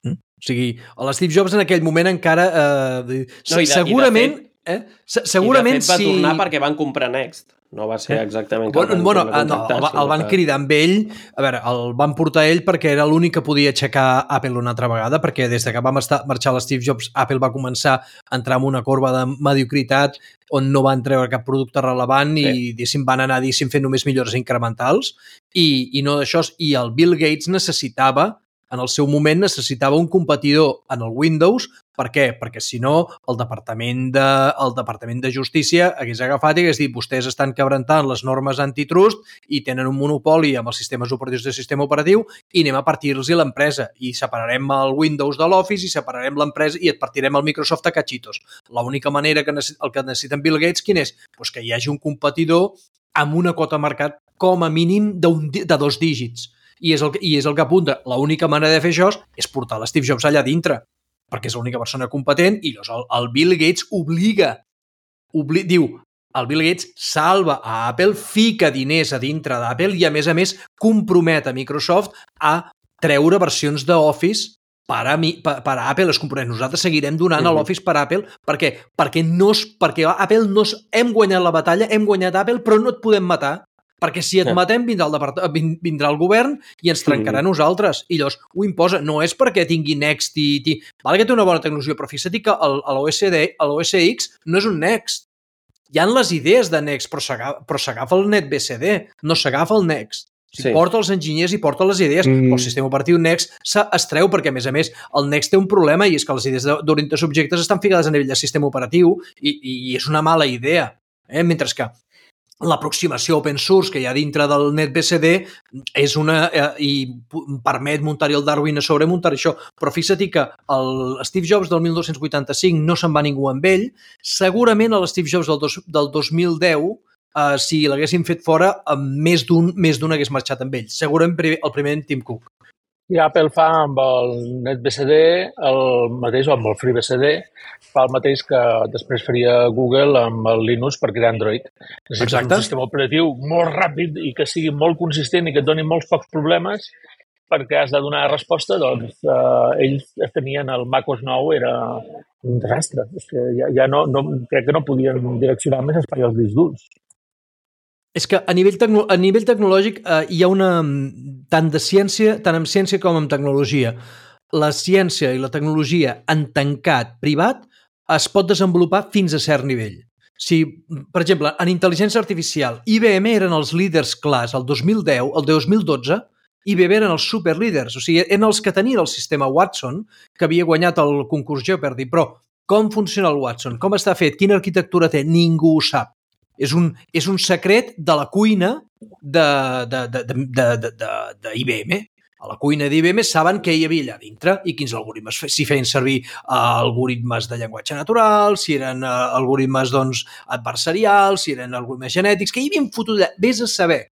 Mm? O sigui, l'Steve Jobs en aquell moment encara... Uh, no, de, segurament... Fet, eh? Segurament I de fet va si... tornar perquè van comprar Next. No va ser exactament que bueno, el van, bueno, no, el, el van que... cridar amb ell, a veure, el van portar ell perquè era l'únic que podia aixecar Apple una altra vegada, perquè des que va marxar l'Steve Jobs, Apple va començar a entrar en una corba de mediocritat on no van treure cap producte relevant sí. i diguéssim, van anar diguéssim, fent només millores incrementals i, i no d'això, i el Bill Gates necessitava, en el seu moment necessitava un competidor en el Windows. Per què? Perquè si no el Departament de, el Departament de Justícia hagués agafat i hagués dit vostès estan quebrantant les normes antitrust i tenen un monopoli amb els sistemes operatius del sistema operatiu i anem a partir-los l'empresa i separarem el Windows de l'Office i separarem l'empresa i et partirem el Microsoft a cachitos. L'única manera que necess... el que necessiten Bill Gates quin és? Pues que hi hagi un competidor amb una quota de mercat com a mínim de dos dígits. I és el que, i és el que apunta. L'única manera de fer això és portar l'Steve Jobs allà dintre, perquè és l'única persona competent i llavors el, el Bill Gates obliga, obli, diu, el Bill Gates salva a Apple, fica diners a dintre d'Apple i a més a més compromet a Microsoft a treure versions d'Office per a, mi, per, per a Apple, els components. Nosaltres seguirem donant mm-hmm. a l'Office per a Apple perquè, perquè, no, perquè Apple no hem guanyat la batalla, hem guanyat Apple, però no et podem matar. Perquè si et matem vindrà el, vindrà el govern i ens trencarà a nosaltres. I llavors ho imposa. No és perquè tingui Next i... i vale que té una bona tecnologia, però fixa't que l'O S D, l'O S X no és un Next. Hi ha les idees de Next, però s'agafa el NetBSD, no s'agafa el Next. O sigui, sí. Porta els enginyers i porta les idees, mm. però el sistema operatiu Next es treu perquè, a més a més, el Next té un problema i és que les idees d'orientació objectes estan ficades a nivell de sistema operatiu i, i és una mala idea. Eh? Mentre que l'aproximació open source que hi ha dintre del NetBSD és una, eh, i permet muntar-hi el Darwin a sobre muntar això, però fixa't que el Steve Jobs del mil nou-cents vuitanta-cinc no se'n va ningú amb ell, segurament el Steve Jobs del, dos, del dos mil deu eh, si l'haguessin fet fora més d'un més d'un hagués marxat amb ell, segurament el primer en Tim Cook. I Apple fa amb el NetBSD el mateix, o amb el FreeBSD, fa el mateix que després faria Google amb el Linux per crear Android. Necessites un sistema operatiu molt ràpid i que sigui molt consistent i que et doni molts pocs problemes perquè has de donar resposta, doncs eh, ells tenien el macOS nou, era un desastre. És que ja, ja no, no, crec que no podien direccionar més espai als discs durs. És que a nivell, tecno, a nivell tecnològic eh, hi ha una... tant de ciència, tant en ciència com en tecnologia. La ciència i la tecnologia en tancat privat es pot desenvolupar fins a cert nivell. Si, per exemple, en intel·ligència artificial, I B M eren els líders clars el dos mil deu, el dos mil dotze, I B M eren els superlíders, o sigui, eren els que tenien el sistema Watson, que havia guanyat el concurs Jeopardy, però com funciona el Watson? Com està fet? Quina arquitectura té? Ningú ho sap. És un, és un secret de la cuina de, de, de, de, de, de, de, de I B M. A la cuina d'I B M saben què hi havia allà dintre i quins algoritmes, si feien servir uh, algoritmes de llenguatge natural, si eren uh, algoritmes doncs, adversarials, si eren algoritmes genètics, que hi havien fotut allà, vés a saber.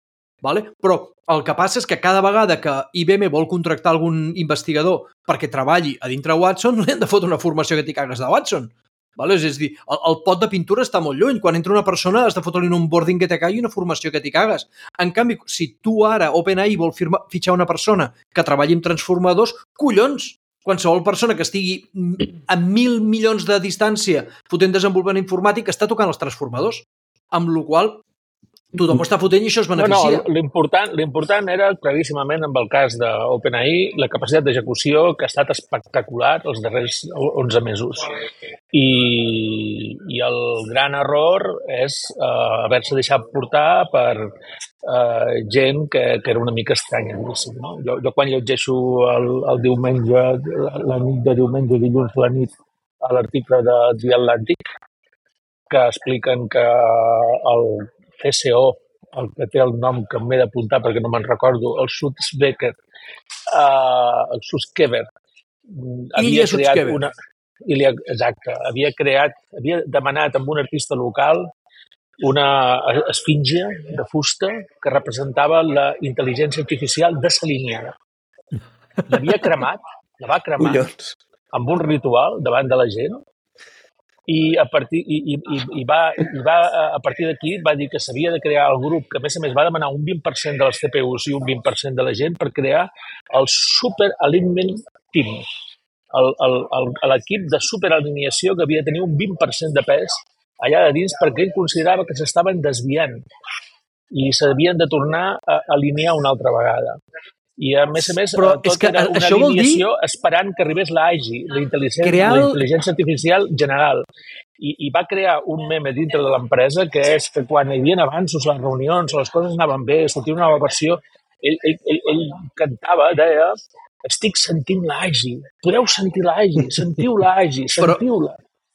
Vale? Però el que passa és que cada vegada que I B M vol contractar algun investigador perquè treballi a dintre Watson, li han de fotre una formació que t'hi cagues de Watson. Vale? És a dir, el, el pot de pintura està molt lluny. Quan entra una persona has de fotre-li un onboarding que te cagui i una formació que t'hi cagues. En canvi, si tu ara, OpenAI, vol firma, fitxar una persona que treballi amb transformadors, collons! Qualsevol persona que estigui a mil milions de distància fotent desenvolupament informàtic està tocant els transformadors. Amb la qual cosa, tothom ho està fotent i això es beneficia. No, no, l'important, l'important era claríssimament amb el cas d'OpenAI la capacitat d'execució que ha estat espectacular els darrers onze mesos. I, i el gran error és uh, haver-se deixat portar per uh, gent que, que era una mica estranya. No? Jo, jo quan llegeixo el, el diumenge, la nit de diumenge, dilluns a la nit, a l'article de The Atlantic, que expliquen que el C C O, el que té el nom que m'he d'apuntar perquè no me'n recordo, el Sutskever, uh, el Sutskever, havia creat una... Ilya, exacte, havia creat, havia demanat amb un artista local una esfinge de fusta que representava la intel·ligència artificial desalineada. L'havia cremat, la va cremar Collons. amb un ritual davant de la gent i a partir, i, i, i, i va, i va, a partir d'aquí va dir que s'havia de crear el grup, que a més a més va demanar un vint per cent dels C P Us i un vint per cent de la gent per crear el Super Alignment Team, l'equip de superalineació que havia de tenir un vint per cent de pes allà de dins perquè ell considerava que s'estaven desviant i s'havien de tornar a alinear una altra vegada. I a més a més, Però tot és que era una això vol dir- alineació esperant que arribés l'A G I, la intel·ligència, Crear el- la intel·ligència artificial general. I, I va crear un meme dintre de l'empresa que és que quan hi havia avanços, les reunions, les coses anaven bé, sortia una nova versió, ell, ell, ell, ell cantava, deia, estic sentint l'A G I, podeu sentir l'A G I, sentiu l'A G I, Però- sentiu-la.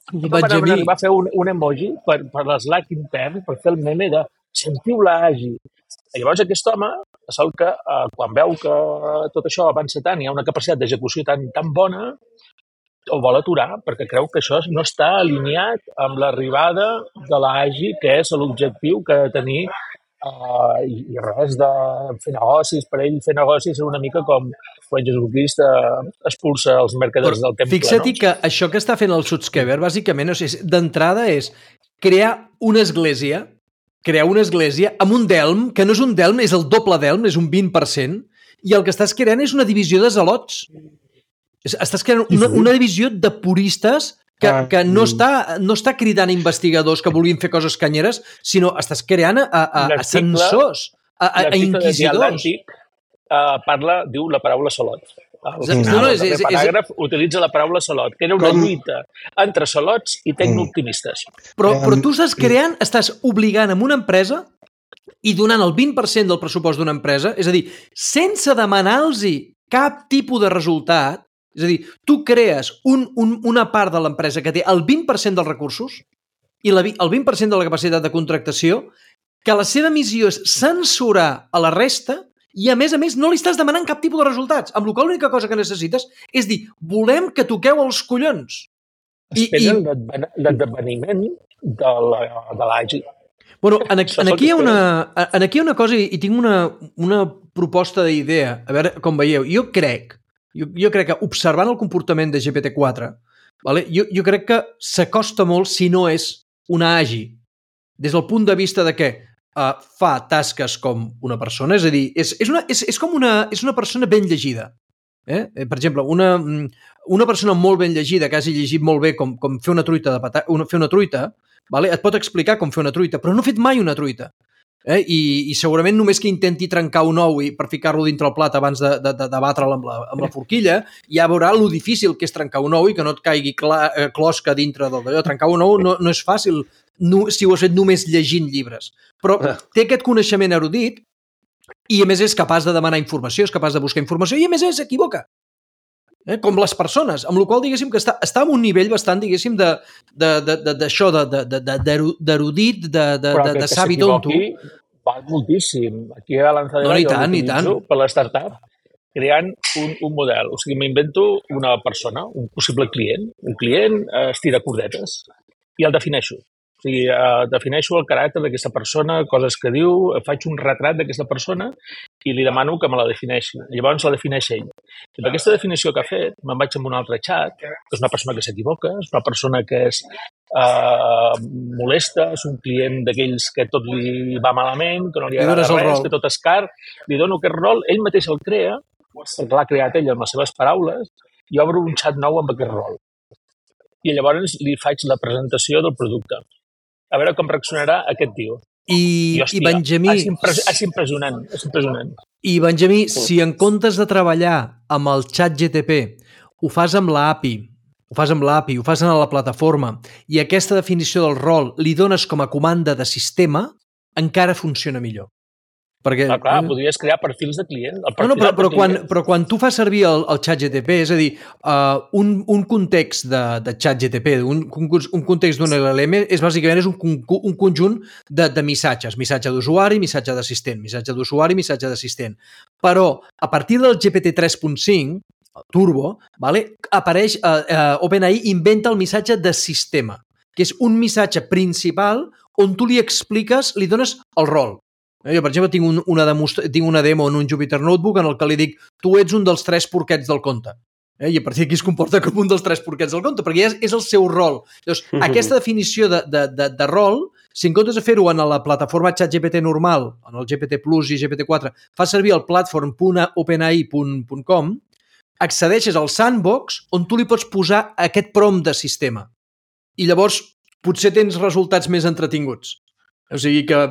I tothom Benjamí- anava a fer un, un emoji per, per l'Slack intern, per fer el meme de sentiu l'A G I. I llavors aquest home, sol que eh, quan veu que tot això avança tant, hi ha una capacitat d'execució tan, tan bona, ho vol aturar perquè creu que això no està alineat amb l'arribada de l'A G I, que és l'objectiu que ha de tenir eh, i, i res de fer negocis. Per ell fer negocis és una mica com quan Jesucrist eh, expulsa els mercaders Però del temple. fixa't no? que això que està fent el Sutskever, bàsicament, és, d'entrada és crear una església, crear una església amb un delm, que no és un delm, és el doble delm, és un vint per cent, i el que estàs creant és una divisió de zelots. És- Estàs creant una, una divisió de puristes que, Ah, que no, mm. està, no està cridant a investigadors que vulguin fer coses canyeres, sinó estàs creant a, a, a L'article- censors, a, a, a L'article de The inquisidors. Atlantic eh, parla, diu la paraula salot. El, No, final, no, el és- darrer és- és- paràgraf utilitza la paraula salot, que era una Com- lluita entre salots i tecnooptimistes. Però, Em, però tu estàs creant, estàs obligant amb una empresa i donant el vint per cent del pressupost d'una empresa, és a dir, sense demanar-los cap tipus de resultat, és a dir, tu crees un, un, una part de l'empresa que té el vint per cent dels recursos i la, vi- el vint per cent de la capacitat de contractació, que la seva missió és censurar a la resta i, a més a més, no li estàs demanant cap tipus de resultats, amb la qual l'única cosa que necessites és dir, volem que toqueu els collons. I, Esperen i, l'adven- l'esdeveniment de la- de l'A G I. Bueno, en, aquí, Això és en, el aquí hi que ha una, en aquí hi ha una cosa i, i tinc una, una proposta d'idea, a veure com veieu. Jo crec, jo, jo crec que observant el comportament de G P T quatre, vale, jo, jo crec que s'acosta molt, si no és una A G I, des del punt de vista de que uh, fa tasques com una persona, és a dir, és, és, una, és, és com una, és una persona ben llegida. Eh? Eh, Per exemple, una, una persona molt ben llegida, que hagi llegit molt bé com, com fer una truita, de pata, una, fer una truita, vale? Et pot explicar com fer una truita, però no ha fet mai una truita. Eh? I, I segurament només que intenti trencar un ou i per ficar-lo dintre el plat abans de, de, de, de batre'l amb, la, amb la forquilla, ja veurà lo difícil que és trencar un ou i que no et caigui cla, eh, closca dintre d'allò. Trencar un ou no, no és fàcil no, si ho has fet només llegint llibres. Però té aquest coneixement erudit i, a més, és capaç de demanar informació, és capaç de buscar informació i, a més, s'equivoca. Eh? Com les persones, amb la qual diguéssim que està, està en un nivell bastant, diguéssim, de, de, de, de, d'això, de, de, de, de, d'erudit, de, de, Però de, que, de que savi tonto. s'equivoqui val moltíssim. Aquí a Lanzadera No, i jo tant, i l'utilitzo tant. per l'startup creant un, un model. O sigui, m'invento una persona, un possible client. Un client eh, estira cordetes i el defineixo. O sigui, eh, defineixo el caràcter d'aquesta persona, coses que diu, faig un retrat d'aquesta persona i li demano que me la defineixi. Llavors la defineix ell. I per aquesta definició que ha fet, me'n vaig amb un altre xat, que és una persona que s'equivoca, és una persona que és eh, molesta, és un client d'aquells que tot li va malament, que no li Li agrada dones el res, rol. que tot és car, li dono aquest rol, ell mateix el crea, perquè l'ha creat ell amb les seves paraules, i obro un xat nou amb aquest rol. I llavors li faig la presentació del producte. A veure com reaccionarà aquest tio. I, I, i Benjamí, és, impres és impressionant, és impressionant. i Benjamí, si en comptes de treballar amb el xat G T P ho fas amb l'A P I, ho fas amb l'A P I, ho fas en la plataforma i aquesta definició del rol li dones com a comanda de sistema, encara funciona millor. Perquè, Ah, clar, podries crear perfils de client. El No, no, perfil però, de però, quan, client. però quan tu fas servir el, el xat G T P, és a dir, uh, un, un context de, de xat G T P, un, un, un context d'un L L M, és bàsicament és un, con- un conjunt de, de missatges, missatge d'usuari, missatge d'assistent, missatge d'usuari, missatge d'assistent. Però a partir del G P T tres punt cinc, el Turbo, vale, apareix, uh, uh, OpenAI inventa el missatge de sistema, que és un missatge principal on tu li expliques, li dones el rol. Jo, per exemple, tinc, un, una, demostra... tinc una demo en un Jupyter Notebook en el que li dic tu ets un dels tres porquets del conte. Eh? I a partir d'aquí es comporta com un dels tres porquets del conte, perquè ja és, és el seu rol. Llavors, aquesta definició de, de, de, de rol, si en comptes de fer-ho en la plataforma ChatGPT normal, en el G P T Plus i G P T quatre, fa servir el platform punt openai punt com, accedeixes al sandbox on tu li pots posar aquest prompt de sistema. I llavors potser tens resultats més entretinguts. O sigui que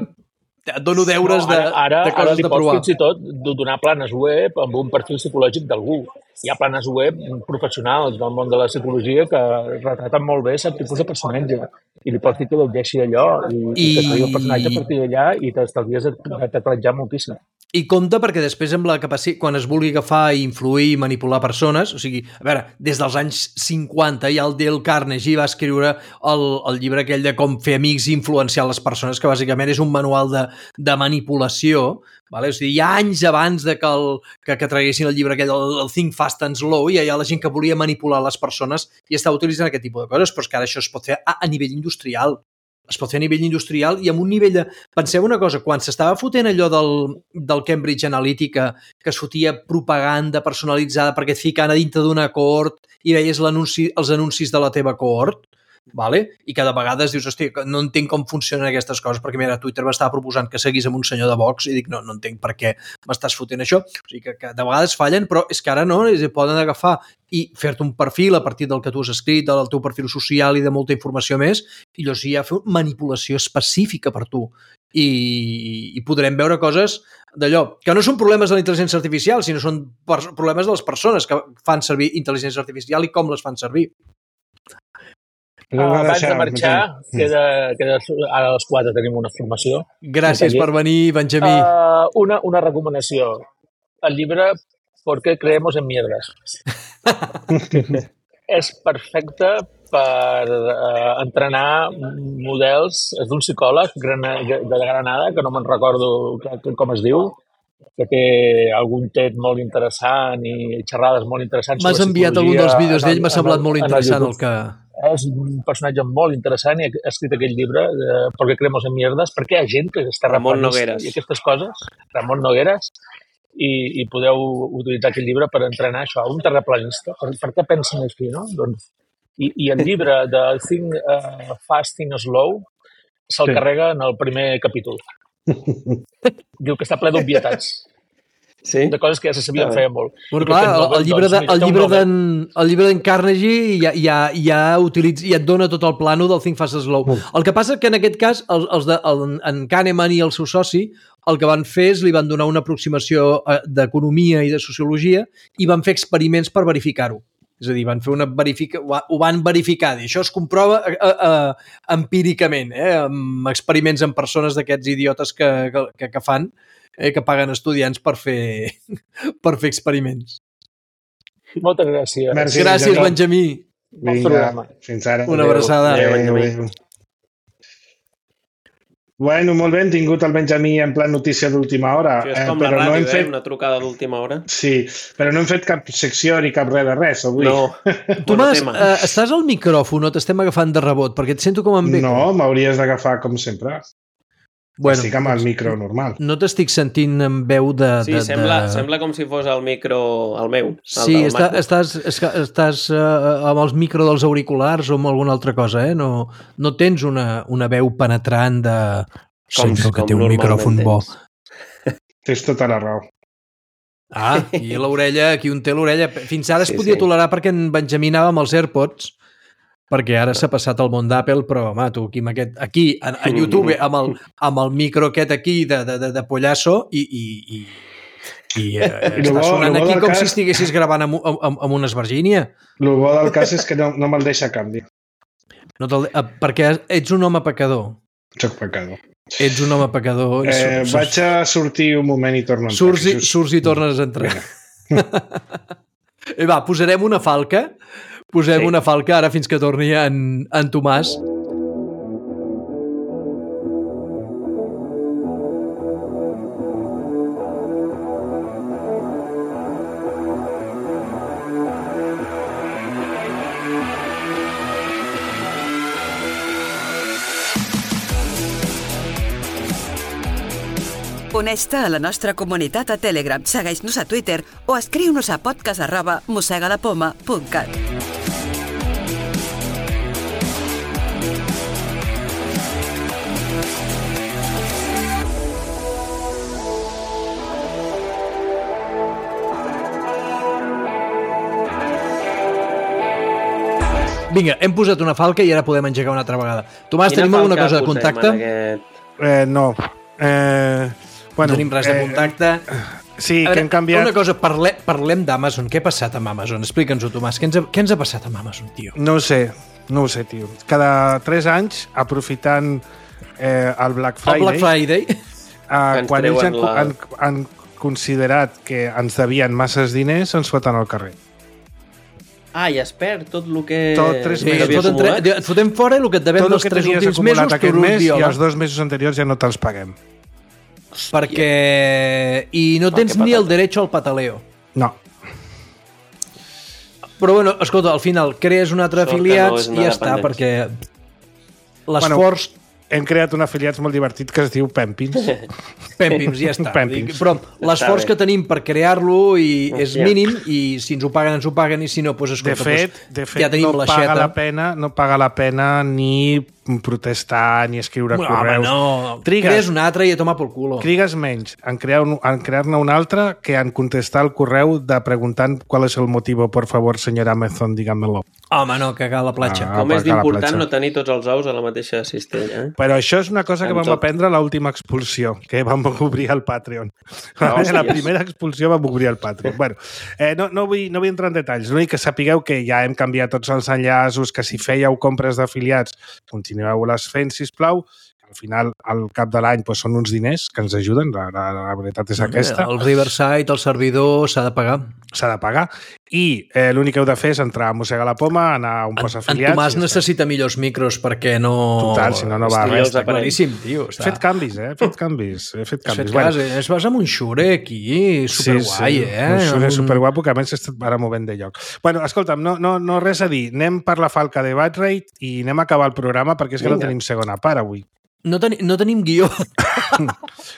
et dono deures no, ara, ara, de, de coses ara de provar. Ara fins i tot donar planes web amb un perfil psicològic d'algú. Hi ha planes web professionals del món de la psicologia que retraten molt bé aquest tipus de personatge. I li pots dir que llegeixi allò i, I... i que tregui el personatge a partir d'allà i t'estalvies de teclejar moltíssim. I compte perquè després amb la capacitat, quan es vulgui agafar i influir i manipular persones, o sigui, a veure, des dels anys cinquanta ja el Dale Carnegie va escriure el, el llibre aquell de com fer amics i influenciar les persones, que bàsicament és un manual de, de manipulació, vale? O sigui, hi ha anys abans de que, el, que, que traguessin el llibre aquell, el, el Think Fast and Slow, i hi ha la gent que volia manipular les persones i estava utilitzant aquest tipus de coses, però és que ara això es pot fer a, a nivell industrial. Es pot fer a nivell industrial i amb un nivell de... Penseu una cosa, quan s'estava fotent allò del, del Cambridge Analytica, que es fotia propaganda personalitzada perquè et ficaven a dintre d'una cohort i veies l'anunci, els anuncis de la teva cohort, vale? I cada vegada dius, hosti, no entenc com funcionen aquestes coses, perquè mira, Twitter m'estava proposant que seguís amb un senyor de Vox i dic, no, no entenc per què m'estàs fotent això. O sigui que, que de vegades fallen, però és que ara no, es poden agafar i fer-te un perfil a partir del que tu has escrit, del teu perfil social i de molta informació més, i llavors ja fer manipulació específica per tu. I, i podrem veure coses d'allò, que no són problemes de la intel·ligència artificial, sinó són problemes de les persones que fan servir intel·ligència artificial i com les fan servir. Uh, abans de marxar, queda, queda, ara a les quatre tenim una formació. Gràcies per venir, Benjamí. Uh, una, una recomanació. El llibre ¿Por qué creemos en mierdas? És perfecte per uh, entrenar models. És d'un psicòleg de Granada, que no me'n recordo com es diu, que té algun tet molt interessant i xerrades molt interessants. M'has enviat algun dels vídeos d'ell, m'ha semblat molt interessant el que... És un personatge molt interessant i ha escrit aquell llibre de ¿Por qué creemos en mierdas? Perquè hi ha gent que està Ramon Nogueres i aquestes coses, Ramon Nogueres, i, i podeu utilitzar aquest llibre per entrenar això, un terraplanista. Per, per què pensen així, no? Doncs, i, I el llibre de Think uh, Fast and Slow se'l sí. carrega en el primer capítol. Diu que està ple d'obvietats. Sí? De coses que ja se sabien feia molt. Bueno, clar, el, el llibre de, el llibre d'en el llibre d'en Carnegie ja, ja, ja, utilitza, ja et dona tot el plano del Think Fast and Slow. Mm. El que passa que en aquest cas els, els de, el, en Kahneman i el seu soci el que van fer és li van donar una aproximació d'economia i de sociologia i van fer experiments per verificar-ho. És a dir, van fer una verifica... ho van verificar. I això es comprova eh, eh, empíricament, eh, amb experiments amb persones d'aquests idiotes que, que, que fan, eh, que paguen estudiants per fer, per fer experiments. Moltes gràcies. Merci, gràcies, Benjamí. Benjamí. Vinga, fins ara. Una abraçada. Adéu, Benjamí. Bueno, molt bé, hem tingut el Benjamí en plan notícia d'última hora. Això és com eh, la ràdio, no hem fet... eh? Una trucada d'última hora. Sí, però no hem fet cap secció ni cap res de res avui. No. Tomàs, eh, estàs al micròfon o t'estem agafant de rebot? Perquè et sento com en beco. No, m'hauries d'agafar com sempre. Bueno, estic amb el micro normal. No t'estic sentint amb veu de... Sí, de, sembla, de... sembla com si fos el micro, el meu. El sí, està, estàs, estàs uh, amb els micro dels auriculars o amb alguna altra cosa, eh? No, no tens una, una veu penetrant de... Com, Sento que com té un micròfon bo. Tens tota la raó. Ah, i l'orella, aquí un té l'orella. Fins ara es sí, podia sí. tolerar perquè en Benjamí anava amb els AirPods, perquè ara s'ha passat al món d'Apple, però, home, tu aquí, amb aquest, aquí a, a YouTube, amb el, amb el micro aquest aquí de, de, de, de pollasso i, i, i, i eh, està sonant aquí com cas... si estiguessis gravant amb, amb, amb una esvergínia. El bo del cas és que no, no me'l deixa canvi. No perquè ets un home pecador. Soc pecador. Ets un home pecador. Eh, surts, vaig a sortir un moment i torno a entrar. Surts i, surts i tornes a entrar. I va, posarem una falca. Posem sí. una falca ara fins que torni en, en Tomàs. Uneix-te a la nostra comunitat a Telegram, segueix-nos a Twitter o escriu-nos a podcast arroba mossegalapoma punt cat. Vinga, hem posat una falca i ara podem engegar una altra vegada. Tomàs, Quina tenim alguna falca cosa de posem contacte? en aquest- Eh, no. Eh, bueno, No tenim res de eh, contacte. Sí, A que veure, hem canviat... Una cosa, parle, parlem d'Amazon. Què ha passat amb Amazon? Explica'ns-ho, Tomàs. Què ens, ha, què ens ha passat amb Amazon, tio? No ho sé, no ho sé, tio. Cada tres anys, aprofitant eh, el Black Friday... El Black Friday... Eh, Ens quan ells han, treuen la- han, han considerat que ens devien masses diners, ens foten al carrer. Ah, i es perd tot el que... Tot tres Sí, mesos. et, havia foten acumulat. tre... et fotem fora el que et devem Tot el dels que tres tenies últims acumulat mesos, aquest tu mes i viola. els dos mesos anteriors ja no te'ls paguem. Perquè... I no Per tens què ni el patata? derecho al pataleo. No. Però bueno, escolta, al final crees un altre Sort que no afiliats és i una ja està, perquè dependència. l'esforç... Hem creat un afiliats molt divertit que es diu Pempins. Pèmpims, ja està. Pèmpims. Dic, Però l'esforç bé. que tenim per crear-lo i és Hòstia. mínim i si ens ho paguen, ens ho paguen i si no, doncs De escolta, fet, doncs, de fet ja tenim no, la paga xeta. la pena, no paga la pena ni protestar ni escriure No, home, correus. no. Trigues, Crees un altre i a tomar por culo. trigues menys en crear un, en crear-ne un altre que en contestar el correu de preguntant qual és el motiu, por favor, senyora Amazon, dígamelo. Home, no, cagar a la platja. Ah. Com és perquè a la d'important platja. no tenir tots els ous a la mateixa cistella, eh? Però això és una cosa que Amb vam tot. aprendre a l'última expulsió, que vam obrir el Patreon. Ah, la hòsties. primera expulsió vam obrir el Patreon. Bueno, eh, no, no, vull, no vull entrar en detalls, l'únic que sapigueu que ja hem canviat tots els enllaços, que si fèieu compres d'afiliats, continueu-les fent, sisplau. Al final, al cap de l'any, doncs, són uns diners que ens ajuden, la, la, la veritat és aquesta. El Riverside, el servidor, s'ha de pagar. S'ha de pagar. I eh, l'únic que heu de fer és entrar a Mossega la Poma, anar a un En, post en afiliats... Tomàs i ja està. necessita millors micros perquè no... Total, si no, no va Estigui res. els Està clar. aparells. Claríssim, tio. Està. He fet canvis, eh? He fet canvis. He fet Has canvis. fet cas, eh? Es vas amb un Shure aquí, superguai, eh? Un Shure Un- superguapo que a més estat ara movent de lloc. Bueno, escolta'm, no, no, no res a dir. Anem per la falca de Batrate i anem a acabar el programa perquè és que no Vinga. tenim segona part avui. No, teni no tenim guió.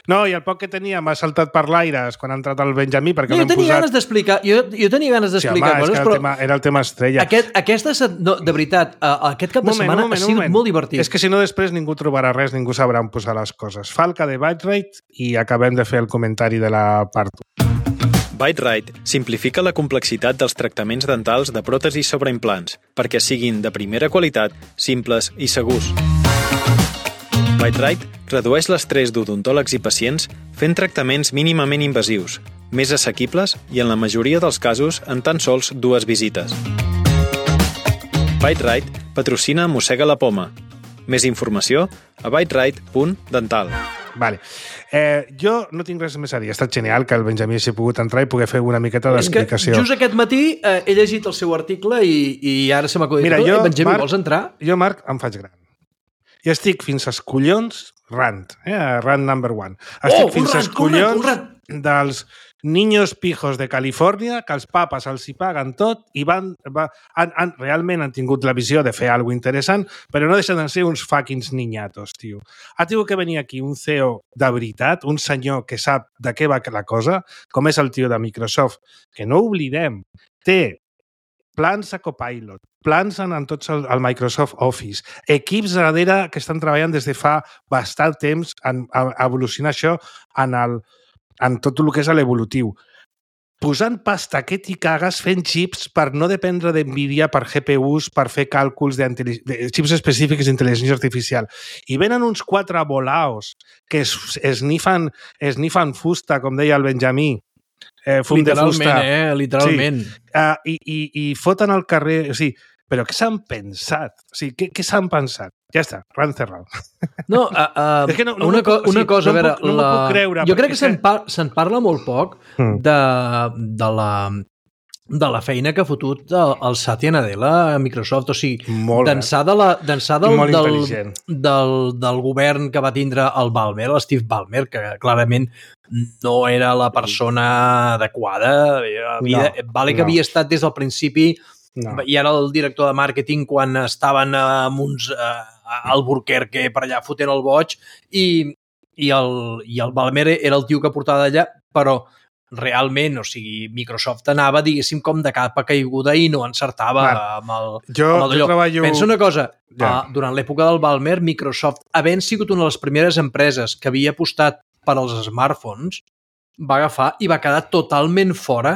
No, i el poc que teníem ha saltat per l'aire quan ha entrat el Benjamí perquè No, jo l'hem tenia posat... ganes d'explicar jo, jo tenia ganes Sí, d'explicar home, és que coses, era, però el tema, era el tema estrella. aquest, aquesta, set- no, de veritat, uh, aquest cap de setmana ha sigut molt divertit. És que si no després ningú trobarà res, ningú sabrà on posar les coses. Falca de Batrate i acabem de fer el comentari de la part u. BiteRite simplifica la complexitat dels tractaments dentals de pròtesis sobre implants perquè siguin de primera qualitat, simples i segurs. BiteRite redueix l'estrès d'odontòlegs i pacients fent tractaments mínimament invasius, més assequibles i en la majoria dels casos en tan sols dues visites. BiteRite patrocina Mossega la Poma. Més informació a biterite punt dental. Vale. Eh, jo no tinc res més a dir. Ha estat genial que el Benjamí s'hi pogut entrar i poder fer una miqueta És que d'explicació. just aquest matí eh, he llegit el seu article i, i ara se m'ha acudit. Mira, jo, eh, Benjamí, Marc- vols entrar? Jo, Marc, em faig gran. I estic fins als collons rant, eh? Rant number one. Estic Oh, un fins rant, als un rant, collons un rant. dels niños pijos de Califòrnia que els papes els hi paguen tot i van, va, han, han, realment han tingut la visió de fer alguna interessant, però no deixen de ser uns fucking niñatos, tio. Ha tingut que venir aquí un C E O de veritat, un senyor que sap de què va la cosa, com és el tio de Microsoft, que no oblidem, té plans a Copilot, plans en, en tots el, el Microsoft Office, equips darrere que estan treballant des de fa bastant temps en, a, a evolucionar això en, el, en tot el que és l'evolutiu. Posant pasta que t'hi cagues fent xips per no dependre d'NVIDIA, per G P Us, per fer càlculs de, de xips específics d'intel·ligència artificial. I venen uns quatre volaos que es, esnifen, esnifen fusta, com deia el Benjamí, eh, fum de Literalment, fusta. eh? Literalment. Sí. Uh, i, i, I foten al carrer... O sigui, però què s'han pensat? O sigui, què, què s'han pensat? Ja està, ran cerrado. No, uh, uh, És que no- no una, m'ho co puc- o una sigui, cosa, no a em veure... puc- no m'ho la... puc creure, jo crec perquè que se'n és que- par se'n parla molt poc Mm. de, de la de la feina que ha fotut el, el Satya Nadella a Microsoft, o sigui, Molt bé. d'ençà de la, d'ençà del, Molt del, intel·ligent. del, del govern que va tindre el Ballmer, el Steve Ballmer, que clarament no era la persona adequada. Havia, No, vale que no. havia estat des del principi No. i era el director de màrqueting quan estaven amb uns eh, Albuquerque per allà fotent el boig i, i el, i el Balmer era el tio que portava d'allà, però realment, o sigui, Microsoft anava, diguéssim, com de capa caiguda i no encertava Clar. amb el, Jo, amb el jo treballo... Pensa una cosa, Ja. uh, durant l'època del Balmer, Microsoft, havent sigut una de les primeres empreses que havia apostat per als smartphones, va agafar i va quedar totalment fora,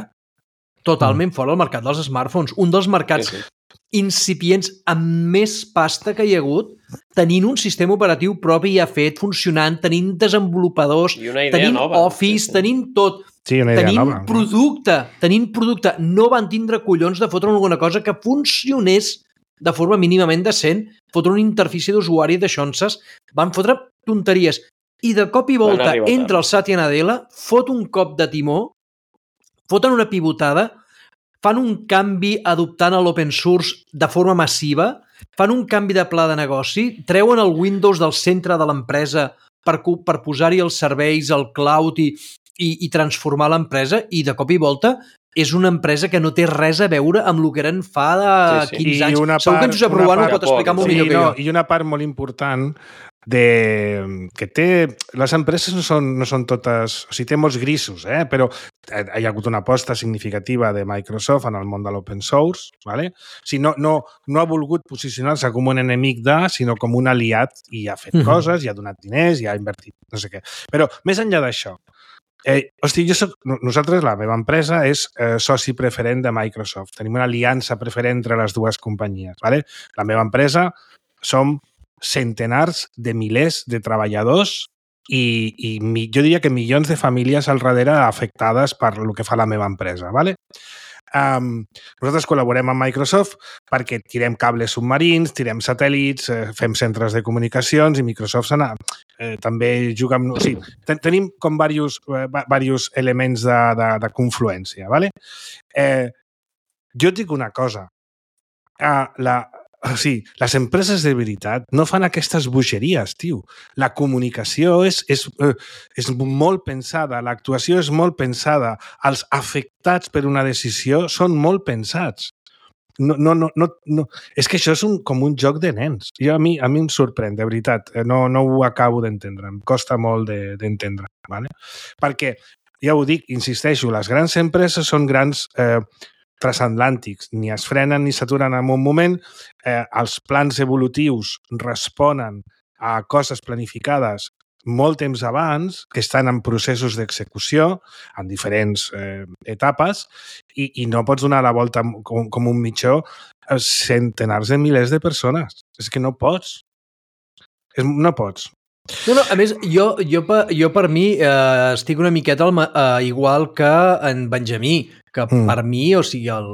totalment mm. fora del mercat dels smartphones. Un dels mercats sí, sí. incipients amb més pasta que hi ha hagut, tenint un sistema operatiu propi ja fet, funcionant, tenint desenvolupadors, tenint nova. Office, sí, sí. tenint tot, Sí, una idea tenint nova. producte, tenint producte. No van tindre collons de fotre alguna cosa que funcionés de forma mínimament decent, fotre una interfície d'usuari de xonses, van fotre tonteries. I de cop i volta entra el Satya Nadella, fot un cop de timó, foten una pivotada, fan un canvi adoptant l'open source de forma massiva, fan un canvi de pla de negoci, treuen el Windows del centre de l'empresa per, per posar-hi els serveis, el cloud i, i, i transformar l'empresa, i de cop i volta és una empresa que no té res a veure amb el que eren fa de sí, sí. quinze anys. Segur que en Josep Ruano ho pot explicar molt sí, millor que no, jo. I una part molt important de que té... Les empreses no són, no són totes... O sigui, té molts grisos, eh? Però hi ha hagut una aposta significativa de Microsoft en el món de l'open source, ¿vale? O sigui, no, no, no ha volgut posicionar-se com un enemic de, sinó com un aliat i ha fet mm-hmm. coses, i ha donat diners, i ha invertit, no sé què. Però, més enllà d'això, Eh, hosti, jo soc, nosaltres, la meva empresa, és eh, soci preferent de Microsoft. Tenim una aliança preferent entre les dues companyies. ¿vale? La meva empresa som centenars de milers de treballadors i, i mi, jo diria que milions de famílies al darrere afectades per el que fa la meva empresa. ¿vale? Um, nosaltres col·laborem amb Microsoft perquè tirem cables submarins, tirem satèl·lits, eh, fem centres de comunicacions i Microsoft s'ha eh, també juga amb... O sigui, ten tenim com diversos, eh, diversos elements de, de, de confluència. ¿vale? Eh, jo et dic una cosa. Uh, la, o sigui, les empreses de veritat no fan aquestes bogeries, tio. La comunicació és, és, eh, és molt pensada, l'actuació és molt pensada, els afectats per una decisió són molt pensats. No, no, no, no, no. És que això és un, com un joc de nens. Jo, a, mi, a mi em sorprèn, de veritat. No, no ho acabo d'entendre. Em costa molt d'entendre. De, ¿vale? Perquè, ja ho dic, insisteixo, les grans empreses són grans... Eh, transatlàntics, ni es frenen ni s'aturen en un moment, eh, els plans evolutius responen a coses planificades molt temps abans, que estan en processos d'execució, en diferents eh, etapes, i, i no pots donar la volta com, com un mitjó a centenars de milers de persones. És que no pots. És, no pots. No, no, a més, jo, jo, jo per mi eh, estic una miqueta al, eh, igual que en Benjamí, que mm. per mi, o sigui, el,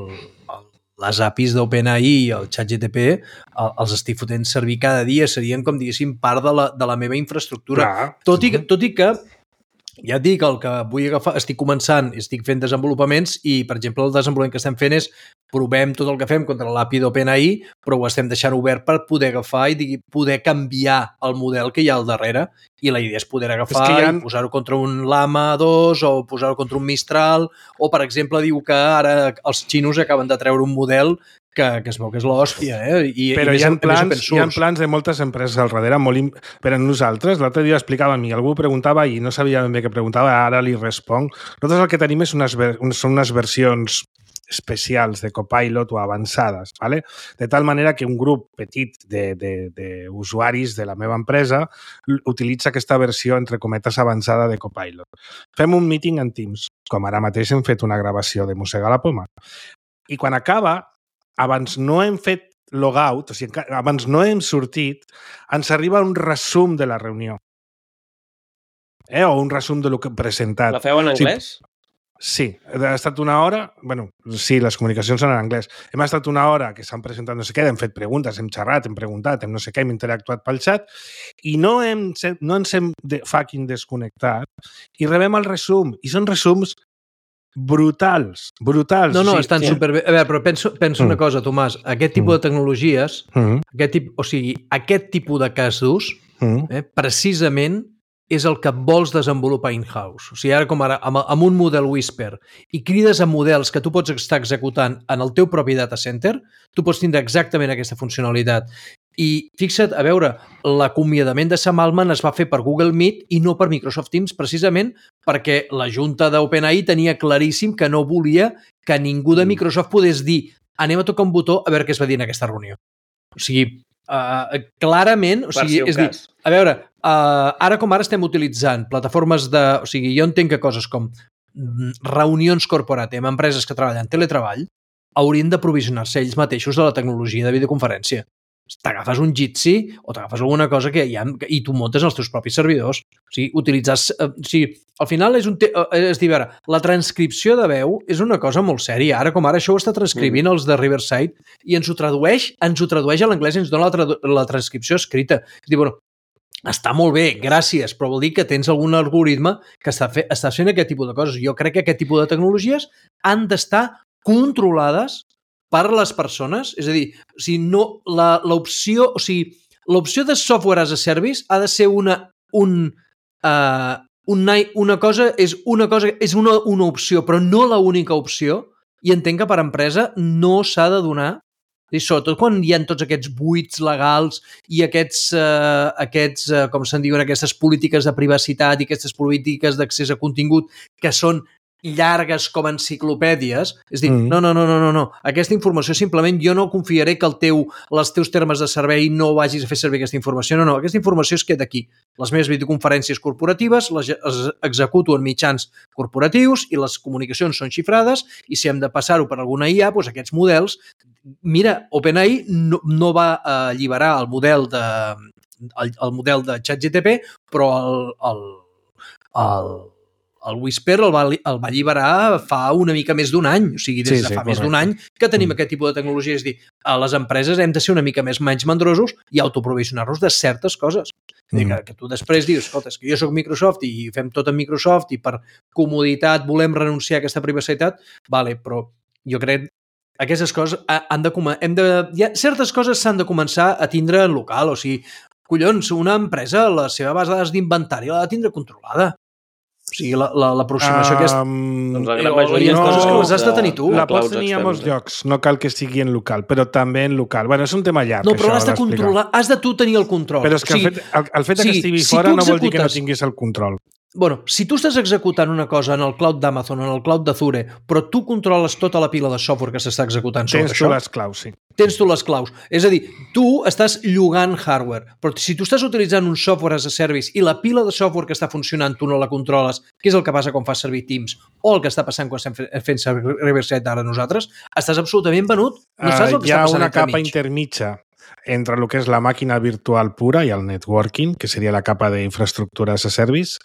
el, les A P Is d'OpenAI i el ChatGPT el, els estic fotent servir cada dia, serien, com diguéssim, part de la, de la meva infraestructura. Clar. Tot i, tot i que, ja et dic, el que vull agafar, estic començant, estic fent desenvolupaments i, per exemple, el desenvolupament que estem fent és provem tot el que fem contra l'A P I d'OpenAI, però ho estem deixant obert per poder agafar i digui, poder canviar el model que hi ha al darrere. I la idea és poder agafar és ha... i posar-ho contra un Llama dos o posar-ho contra un Mistral, o, per exemple, diu que ara els xinos acaben de treure un model que, que es veu que és l'hòstia, eh? I, però i hi ha, més, plans, més hi ha plans de moltes empreses al darrere, molt im... però nosaltres, l'altre dia explicava a mi, algú preguntava i no sabia ben bé què preguntava, ara li responc. Nosaltres el que tenim és unes, són unes versions especials de Copilot o avançades, ¿vale? De tal manera que un grup petit d'usuaris de, de, de la meva empresa utilitza aquesta versió, entre cometes, avançada de Copilot. Fem un meeting en Teams, com ara mateix hem fet una gravació de Mossega la Poma. I quan acaba, abans no hem fet logout, o sigui, abans no hem sortit, ens arriba un resum de la reunió. Eh? O un resum de lo que hem presentat. La feu en anglès? Sí. Sí, ha estat una hora... bueno, sí, les comunicacions són en anglès. Hem estat una hora que s'han presentat no sé què, hem fet preguntes, hem xerrat, hem preguntat, hem no sé què, hem interactuat pel xat i no, hem, no ens hem de fucking desconnectat i rebem el resum. I són resums brutals, brutals. No, no, sí, estan sí. superbé. A veure, però penso, penso mm. una cosa, Tomàs. Aquest tipus mm. de tecnologies, mm. aquest tip, o sigui, aquest tipus de cas d'ús, mm. eh, precisament és el que vols desenvolupar in-house. O sigui, ara com ara, amb, amb un model Whisper, i crides a models que tu pots estar executant en el teu propi data center, tu pots tindre exactament aquesta funcionalitat. I fixa't, a veure, l'acomiadament de Sam Altman es va fer per Google Meet i no per Microsoft Teams, precisament perquè la junta d'OpenAI tenia claríssim que no volia que ningú de Microsoft podés dir anem a tocar un botó a veure què es va dir en aquesta reunió. O sigui, uh, clarament, o sigui, si és dir, a veure, uh, ara com ara estem utilitzant plataformes de... O sigui, jo entenc que coses com reunions corporate amb empreses que treballen teletreball haurien de provisionar-se ells mateixos de la tecnologia de videoconferència. T'agafes un Jitsi o t'agafes alguna cosa que hi ha i tu muntes els teus propis servidors. O sigui, utilitzar... O sigui, al final és un... Te... És dir, veure, la transcripció de veu és una cosa molt sèria. Ara com ara això ho està transcrivint mm. els de Riverside i ens ho tradueix, ens ho tradueix a l'anglès i ens dona la, tradu... la transcripció escrita. És dir, bueno, està molt bé, gràcies, però vol dir que tens algun algoritme que està, fe... està fent aquest tipus de coses. Jo crec que aquest tipus de tecnologies han d'estar controlades per les persones, és a dir, o sigui, no, la, l'opció, o sigui, l'opció de software as a service ha de ser una, un, uh, una, una cosa, és una cosa, és una, una opció, però no la única opció, i entenc que per empresa no s'ha de donar, i sobretot quan hi ha tots aquests buits legals i aquests, uh, aquests uh, com se'n diuen, aquestes polítiques de privacitat i aquestes polítiques d'accés a contingut que són llargues com enciclopèdies, és dir, mm. no, no, no, no, no, no, aquesta informació simplement jo no confiaré que el teu, els teus termes de servei no vagis a fer servir aquesta informació, no, no, aquesta informació es queda aquí. Les meves videoconferències corporatives les executo en mitjans corporatius i les comunicacions són xifrades i si hem de passar-ho per alguna I A, doncs aquests models, mira, OpenAI no, no va alliberar el model de el, el model de ChatGPT, però el, el, el el Whisper el va, el va alliberar fa una mica més d'un any, o sigui, des sí, de fa sí, més d'un any que tenim mm. aquest tipus de tecnologia, és dir, a les empreses hem de ser una mica més menys mandrosos i autoprovisionar-nos de certes coses. Mm. Que, que tu després dius, escolta, és que jo soc Microsoft i fem tot amb Microsoft i per comoditat volem renunciar a aquesta privacitat, vale, però jo crec aquestes coses han de, hem de, ja, certes coses s'han de començar a tindre en local, o sigui, collons, una empresa, la seva base de dades d'inventari l'ha de tindre controlada. O sigui, l'aproximació la, la, aquesta... Um, doncs la gran majoria no, coses que les has de tenir tu. La pots tenir a molts llocs, no cal que sigui en local, però també en local. Bueno, és un tema llarg. No, però l'has de controlar, has de tu tenir el control. Però és que o sigui, el, fet, el, el fet sí, que estigui si fora no vol dir que no tinguis el control. Bueno, si tu estàs executant una cosa en el cloud d'Amazon o en el cloud d'Azure, però tu controles tota la pila de software que s'està executant sobre Tens això... Tens tu les claus, sí. Tens tu les claus. És a dir, tu estàs llogant hardware, però si tu estàs utilitzant un software as a service i la pila de software que està funcionant tu no la controles, que és el que passa quan fas servir Teams, o el que està passant quan estem fent servir Riverside ara nosaltres, estàs absolutament venut. No saps el que uh, està passant entre mig. Hi ha una capa intermitja entre el que és la màquina virtual pura i el networking, que seria la capa d'infraestructura as a service,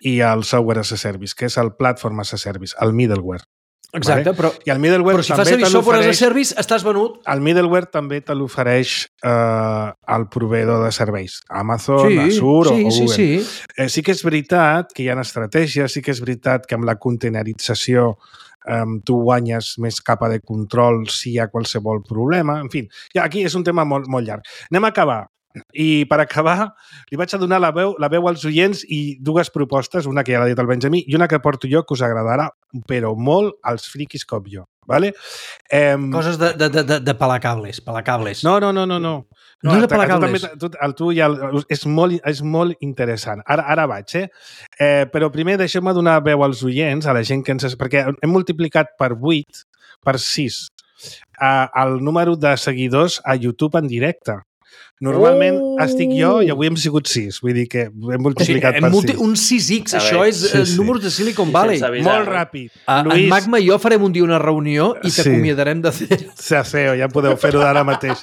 i el software as a service, que és el platform as a service, el middleware. Exacte, vale? però, I el middleware però si fas servir software as a service, estàs venut. El middleware també te l'ofereix eh, el proveïdor de serveis, Amazon, sí, Azure sí, o Google. Sí, sí. Eh, sí que és veritat que hi ha estratègies, sí que és veritat que amb la containerització Um, tu guanyes més capa de control si hi ha qualsevol problema. En fi, ja, aquí és un tema molt, molt llarg. Anem a acabar. I per acabar, li vaig a donar la veu, la veu als oients i dues propostes, una que ja l'ha dit el Benjamí i una que porto jo que us agradarà, però molt als friquis com jo. Vale? Um, Coses de, de, de, de palacables, palacables. No, no, no, no. no. No, no és de palacables. Tu, tu, el tu ja, és, molt, és molt interessant. Ara, ara vaig, eh? eh? Però primer deixeu-me donar veu als oients, a la gent que ens... Perquè hem multiplicat per vuit, per sis, eh, el número de seguidors a YouTube en directe. Normalment oh! estic jo i avui hem sigut sis. Vull dir que hem multiplicat sí, per multi... sis. Un sis ics, això és sí, sí. números de Silicon Valley. Sí, molt ràpid. Uh, Luis... En Magma i jo farem un dia una reunió i t'acomiadarem de C E O. De C E O, ja podeu fer-ho d'ara mateix.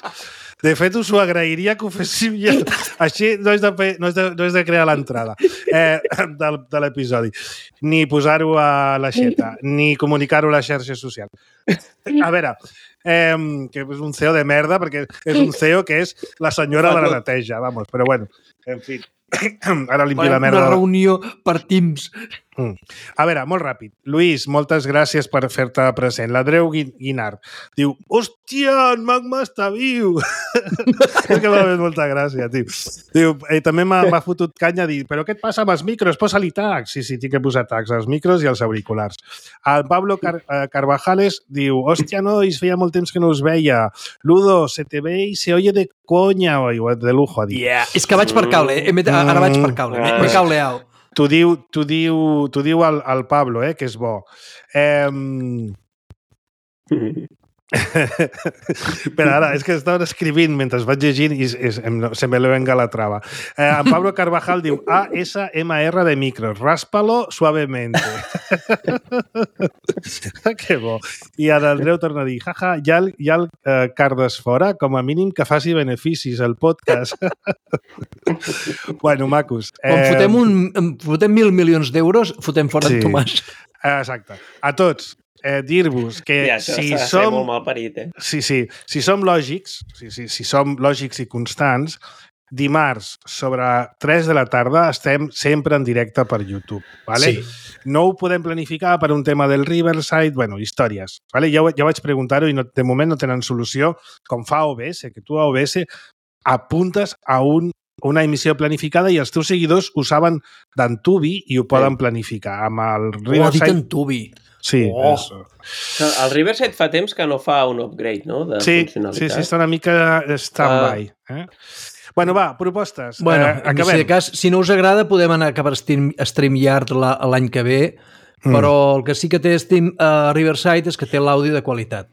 De fet, us ho agrairia que ho féssiu ja. Així no és de, fer, no és de, no és de crear l'entrada eh, de, de l'episodi. Ni posar-ho a l'aixeta, ni comunicar-ho a les xarxes socials. A veure, eh, que és un C E O de merda, perquè és un C E O que és la senyora de la neteja, vamos. Però bueno, en fi, ara limpi la merda. Una reunió per Teams. Mm. A veure, molt ràpid. Lluís, moltes gràcies per fer-te present. L'Andreu Guinart diu, hòstia, en Magma està viu! És que m'ha fet molta gràcia, tio. Diu, eh, també m'ha fotut canya a dir, però què et passa amb els micros? Posa-li tags. Sí, sí, tinc que posar tags als micros i als auriculars. El Pablo Car eh, Carvajales diu, hòstia, nois, feia molt temps que no us veia. Ludo, se te ve y se oye de coña, oi, de lujo, ha dit. Yeah. És que vaig per cable, eh? Ara vaig per cable, mm. m'he cableat. T'ho diu, t'ho diu, t'ho diu el, el Pablo, eh, que és bo. Eh... Però ara, és que estava escrivint mentre vaig llegint i es, em, se me le venga la trava. Eh, en Pablo Carvajal diu A S M R de micros, ráspalo suavemente. Que bo. I en Andreu torna a dir, jaja, ja el, ja el eh, cardes fora, com a mínim que faci beneficis el podcast. Bueno, macos. Quan eh... fotem, un, fotem mil milions d'euros, fotem fora sí. en Tomàs. Exacte. A tots. Eh, dir-vos que ja, si som... molt mal parit, eh? Sí, sí. Si som lògics, si, si, si som lògics i constants, dimarts sobre tres de la tarda estem sempre en directe per YouTube, ¿vale? Sí. No ho podem planificar per un tema del Riverside, bueno, històries, ¿vale? Ja, ja vaig preguntar-ho i no, de moment no tenen solució, com fa O B S, que tu a O B S apuntes a un una emissió planificada i els teus seguidors ho saben d'Antubi i ho poden planificar. Amb el Riverside... Oh, ha dit Antubi. Sí. Oh. El Riverside fa temps que no fa un upgrade, no?, de sí, funcionalitat. Sí, sí, està una mica stand-by. Uh. Eh? Bueno, va, propostes. Bueno, eh, acabem. Si, cas, si no us agrada, podem anar a acabar StreamYard l'any que ve, mm. però el que sí que té Steam, uh, Riverside és que té l'àudio de qualitat.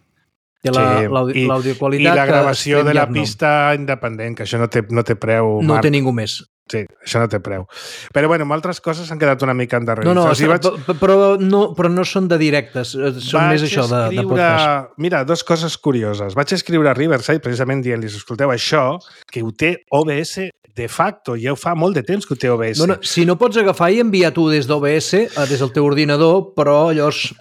Té l'àudio sí. qualitat. I la gravació de la pista no. independent, que això no té, no té preu. No Marc. té ningú més. Sí, això no té preu. Però, bueno, amb altres coses s'han quedat una mica endarrerits. No, no, o sigui, vaig... però, no però no són de directes, són vaig més això de, escriure... de podcast. Mira, dues coses curioses. Vaig escriure a Riverside precisament dient-los, escolteu, això, que ho té O B S de facto, ja ho fa molt de temps que ho té O B S. No, no, si no pots agafar i enviar tu des d'O B S, des del teu ordinador, però llavors...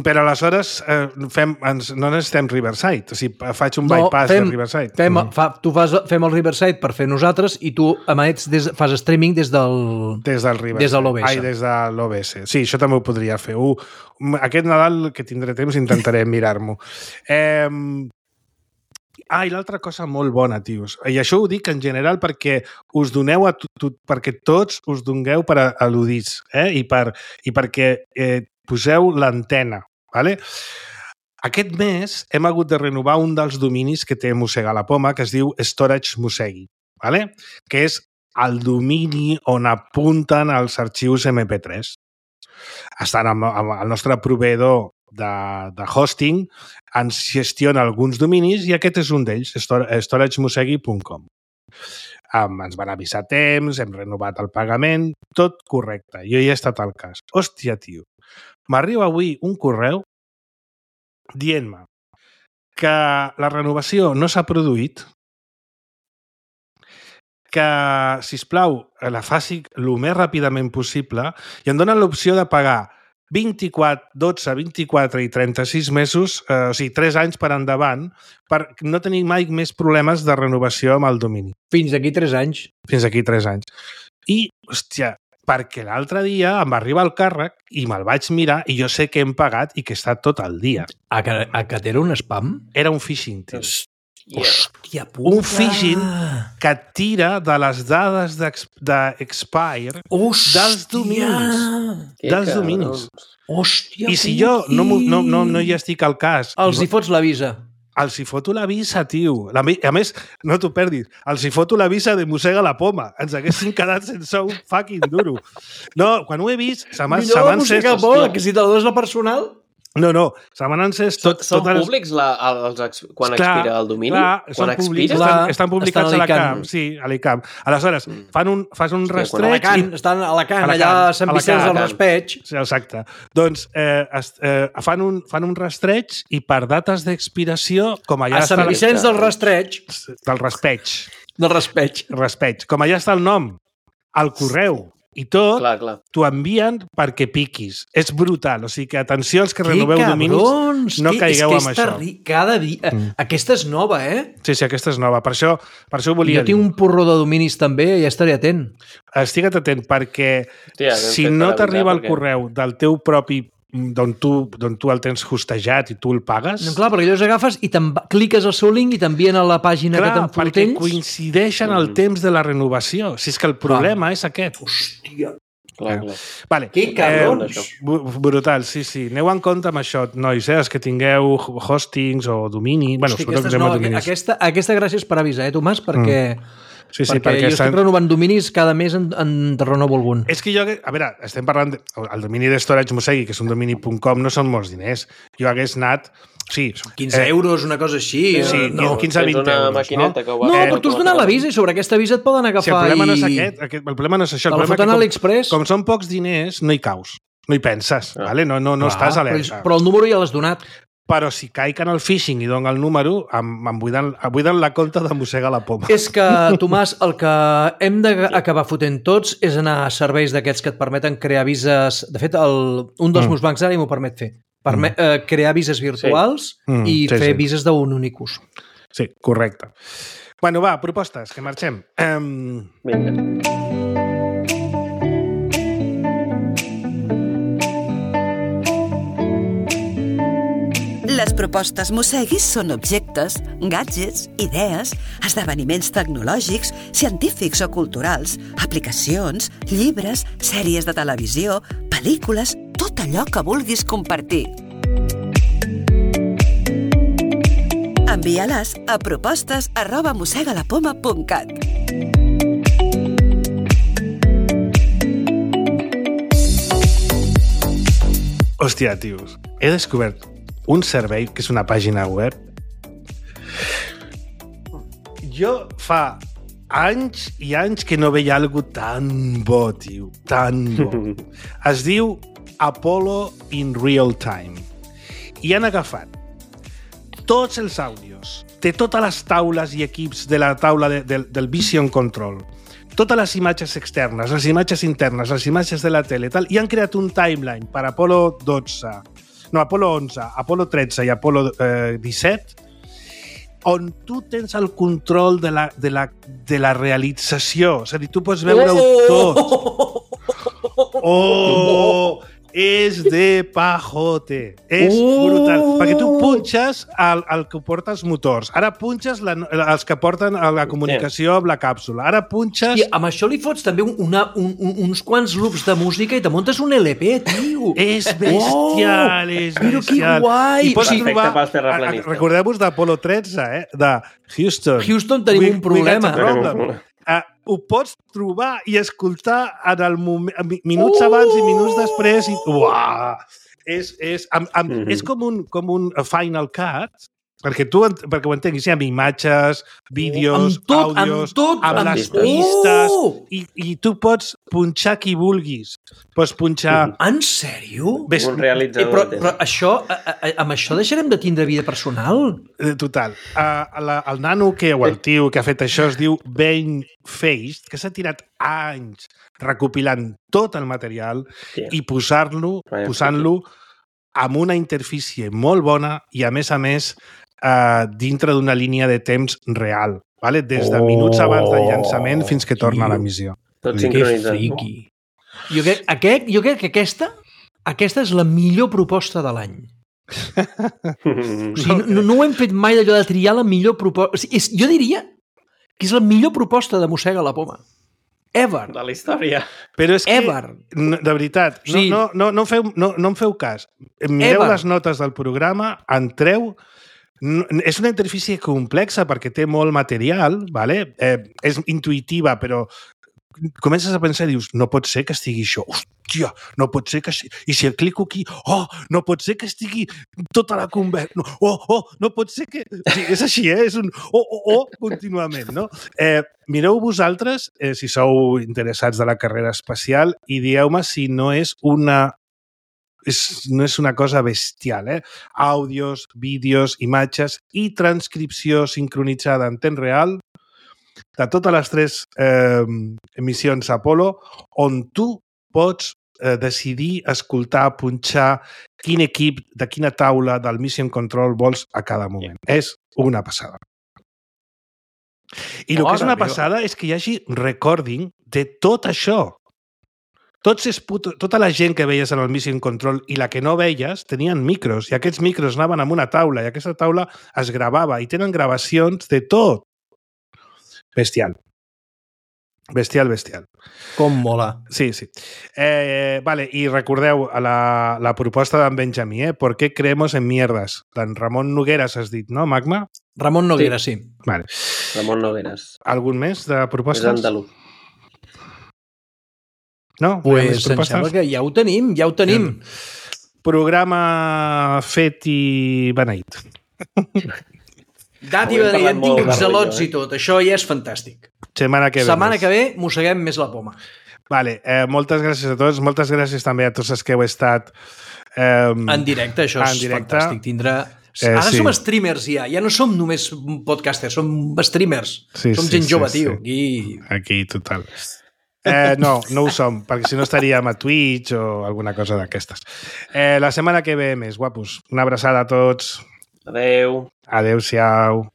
Però aleshores eh, fem, ens, no necessitem Riverside, o sigui, faig un no, bypass fem, de Riverside. Fem, mm. fa, tu fas, fem el Riverside per fer nosaltres i tu emets des, fas streaming des del des del Riverside. Des de l'O B S. Ai, des de l'O B S. Sí, això també ho podria fer. Uh, aquest Nadal, que tindré temps, intentaré mirar-m'ho. Eh, Ah, i l'altra cosa molt bona, tios. I això ho dic en general perquè us doneu a tu, tu, perquè tots us dongueu per al·ludits, eh? I, per, i perquè eh, poseu l'antena, ¿vale? Aquest mes hem hagut de renovar un dels dominis que té Mossega la Poma, que es diu Storage Mossegui, ¿vale? Que és el domini on apunten els arxius M P tres. Estan amb, amb el nostre proveïdor de, de hosting, ens gestiona alguns dominis i aquest és un d'ells, storage mossegui punt com. Um, ens van avisar temps, hem renovat el pagament, tot correcte. Jo ja he estat al cas. Hòstia, tio, m'arriba avui un correu dient-me que la renovació no s'ha produït, que, sisplau, la faci el més ràpidament possible i em donen l'opció de pagar vint-i-quatre, dotze, vint-i-quatre i trenta-sis mesos, eh, o sigui, tres anys per endavant, per no tenir mai més problemes de renovació amb el domini. Fins aquí tres anys. Fins aquí tres anys. I, hòstia, perquè l'altre dia em va arribar el càrrec i me'l vaig mirar i jo sé que hem pagat i que està tot el dia. A que, a que era un spam? Era un phishing, tio. Hòstia puta! Un phishing que tira de les dades d'expire dels dominis. Dels dominis. Hòstia, I si jo no, no, no, no hi estic al cas... Els hi fots la visa. Els hi foto la visa, tio. A més, no t'ho perdis, els hi foto la visa de Mossega la Poma. Ens haguessin quedat sense un fucking duro. No, quan ho he vist, se m'han... Millor la Mossega la Poma, que si te la dones la personal... No, no, se m'han encès... Tot, són tot públics la, els, quan clar, expira el domini? Clar, quan expira? Estan, estan publicats estan a l'Icam. Sí, a l'Icam. Aleshores, fan un, fas un rastreig... I... Estan a l'Alacant, allà a Sant Vicenç del Raspeig. Sí, exacte. Doncs eh, es, eh, fan, un, fan un rastreig i per dates d'expiració, com allà... A Sant Vicenç del Rastreig. Del Raspeig. Del Raspeig. Raspeig. Com allà està el nom, el correu I tot Clar, clar. t'ho envien perquè piquis. És brutal. O sigui que atenció als que Que renoveu cabrons! dominis, no Que- caigueu és que amb és això. terri- Cada dia... Mm. Aquesta és nova, eh? Sí, sí, aquesta és nova. Per això, per això ho volia Jo tinc dir. un porró de dominis també i ja estaré atent. Estigue't atent, perquè Hòstia, ben si fet no per t'arriba el avisar, perquè- correu del teu propi d'on tu, d'on tu el tens hostejat i tu el pagues... No, clar, perquè llavors agafes i cliques al seu link i t'envien a la pàgina Clar, que te'n perquè fotells. coincideixen el Mm. temps de la renovació. Si és que el problema és aquest. Hòstia, Clar, clar. Vale. que cabrons! això. bu- brutal, sí, sí. Aneu en compte amb això, nois, eh? Els que tingueu hostings o domini... Bueno, Hosti, sobretot aquesta, és que nova. dominis. aquesta, aquesta gràcia és per avisar, eh, Tomàs? Perquè, Sí, sí, perquè, perquè jo estan- estic renovant dominis, cada mes en, en renovo algun. És que jo, a veure, estem parlant... De, el domini de Storage Mosegui, que és un domini punt com, no són molts diners. Jo hagués anat... Sí, quinze euros, una cosa així. Sí, eh, no. quinze a vint Tens una euros, maquineta no? que ho va No, fer però tu has donat l'avís i sobre aquesta avís et poden agafar Si el problema no és i... aquest, aquest, el problema no és això. El Te la problema foten a és que l'Express. com, com són pocs diners, no hi caus. No hi penses, Ah. vale? no, no, no Clar, estàs però, alerta. però el número ja l'has donat. Però si caic en el phishing i dono el número, em, em, buiden, em buiden la compta de mossega la poma. És que, Tomàs, el que hem d'acabar fotent tots és anar a serveis d'aquests que et permeten crear vises... De fet, el, un dels Mm. meus bancs ara m'ho permet fer. Permet, eh, crear vises virtuals Mm, i sí, fer sí. vises d'un únic ús. Sí, correcte. Bueno, va, propostes, que marxem. Um, Vinga. Les propostes Mosseguis són objectes, gadgets, idees, esdeveniments tecnològics, científics o culturals, aplicacions, llibres, sèries de televisió, pel·lícules, tot allò que vulguis compartir. Envia-les a propostes arroba mossegalapoma punt cat. hòstia, tios, he descobert un servei que és una pàgina web. Jo fa anys i anys que no veia algo tan bo, tio, tan bo. Es diu Apollo in Real Time. I han agafat tots els àudios de totes les taules i equips de la taula de, de, del Vision Control, totes les imatges externes, les imatges internes, les imatges de la tele, tal, i han creat un timeline per Apollo dotze, no, Apollo onze, Apollo tretze i Apollo eh, disset, on tu tens el control de la, de la, de la realització. És a dir, tu pots veure-ho tot. Oh! És de pajote. És Oh! brutal. Perquè tu punxes el, el que porta els motors. Ara punxes la, els que porten la comunicació amb la càpsula. Ara punxes... I amb això li fots també una, un, un, uns quants loops de música i te muntes un L P, tio. És bestial, és Però que bestial. guai! I pots Perfecte trobar... pels terraplanistes. Recordeu-vos d'Apollo tretze, eh? De Houston. Houston, tenim We- un problema. we got a problem. Uh, ho pots trobar i escoltar en el moment, minuts Uh! abans i minuts després i uah, és, és, amb, amb, Mhm. és com un, com un Final Cut, perquè tu ent- perquè ho entenguis, sí, amb imatges, vídeos, Amb tot, àudios, amb tot, amb, amb les tot. pistes, Oh! i, i tu pots punxar qui vulguis. Pots punxar... En sèrio? Ves, Un Eh, realitzador. però, de tele. però això, a, a, amb això deixarem de tindre vida personal? Eh, Total. Uh, la, el nano que, o el tio que ha fet això es diu Ben Faced, que s'ha tirat anys recopilant tot el material Hòstia. i posar-lo, Vaya posant-lo amb una interfície molt bona i, a més a més, uh, dintre d'una línia de temps real, vale? Des de minuts abans del llançament fins que torna a la missió. Tot Que sincronitzat. friqui. Jo crec, aquest, jo crec que aquesta, aquesta és la millor proposta de l'any. O sigui, no, no ho hem fet mai d'allò de triar la millor proposta. O sigui, és, jo diria que és la millor proposta de Mossega la Poma. Ever. De la història. Però és que, Ever. no, de veritat, no, Sí. no, no, no, feu, no, no em feu cas. Mireu Ever. les notes del programa, entreu... No, és una interfície complexa perquè té molt material, vale? eh, és intuïtiva, però comences a pensar i dius, no pot ser que estigui això, hòstia, no pot ser que... I si el clico aquí, oh, no pot ser que estigui tota la conversa, no, oh, oh, no pot ser que... Sí, és així, eh? És un oh, oh, oh, contínuament, no? Eh, mireu vosaltres, eh, si sou interessats de la carrera espacial, i dieu-me si no és una... És, no és una cosa bestial, eh? Àudios, vídeos, imatges i transcripció sincronitzada en temps real de totes les tres eh, emissions Apollo on tu pots eh, decidir, escoltar, punxar quin equip, de quina taula del Mission Control vols a cada moment. Yeah. És una passada. I el que és una passada és que hi hagi recording de tot això. Tots es puto, tota la gent que veies en el Mission Control i la que no veies tenien micros i aquests micros anaven amb una taula i aquesta taula es gravava i tenen gravacions de tot. Bestial. Bestial, bestial. Com mola. Sí, sí. Eh, vale, i recordeu la, la proposta d'en Benjamí, eh? ¿Por qué creemos en mierdas? D'en Ramon Nogueras has dit, no, Magma? Ramon Nogueras, sí. sí. Vale. Ramon Nogueras. Algun més de propostes? És andalús. No? Pues em sembla que ja ho tenim, ja ho tenim. Programa fet i beneït. Dat i beneït, hem tingut zelots i tot. Això ja és fantàstic. Setmana que ve. Setmana que ve mosseguem més la poma. Vale, eh, moltes gràcies a tots. Moltes gràcies també a tots els que heu estat eh, en directe. Això és directe. Fantàstic. Tindrà... Eh, Ara sí. Som streamers ja. Ja no som només podcasters, som streamers. Sí, som sí, gent sí, jove, sí. Tio. Aquí... Aquí, total. Eh, no, no ho som, perquè si no estaríem a Twitch o alguna cosa d'aquestes. Eh, la setmana que ve més, guapos. Una abraçada a tots. Adeu. Adeu-siau.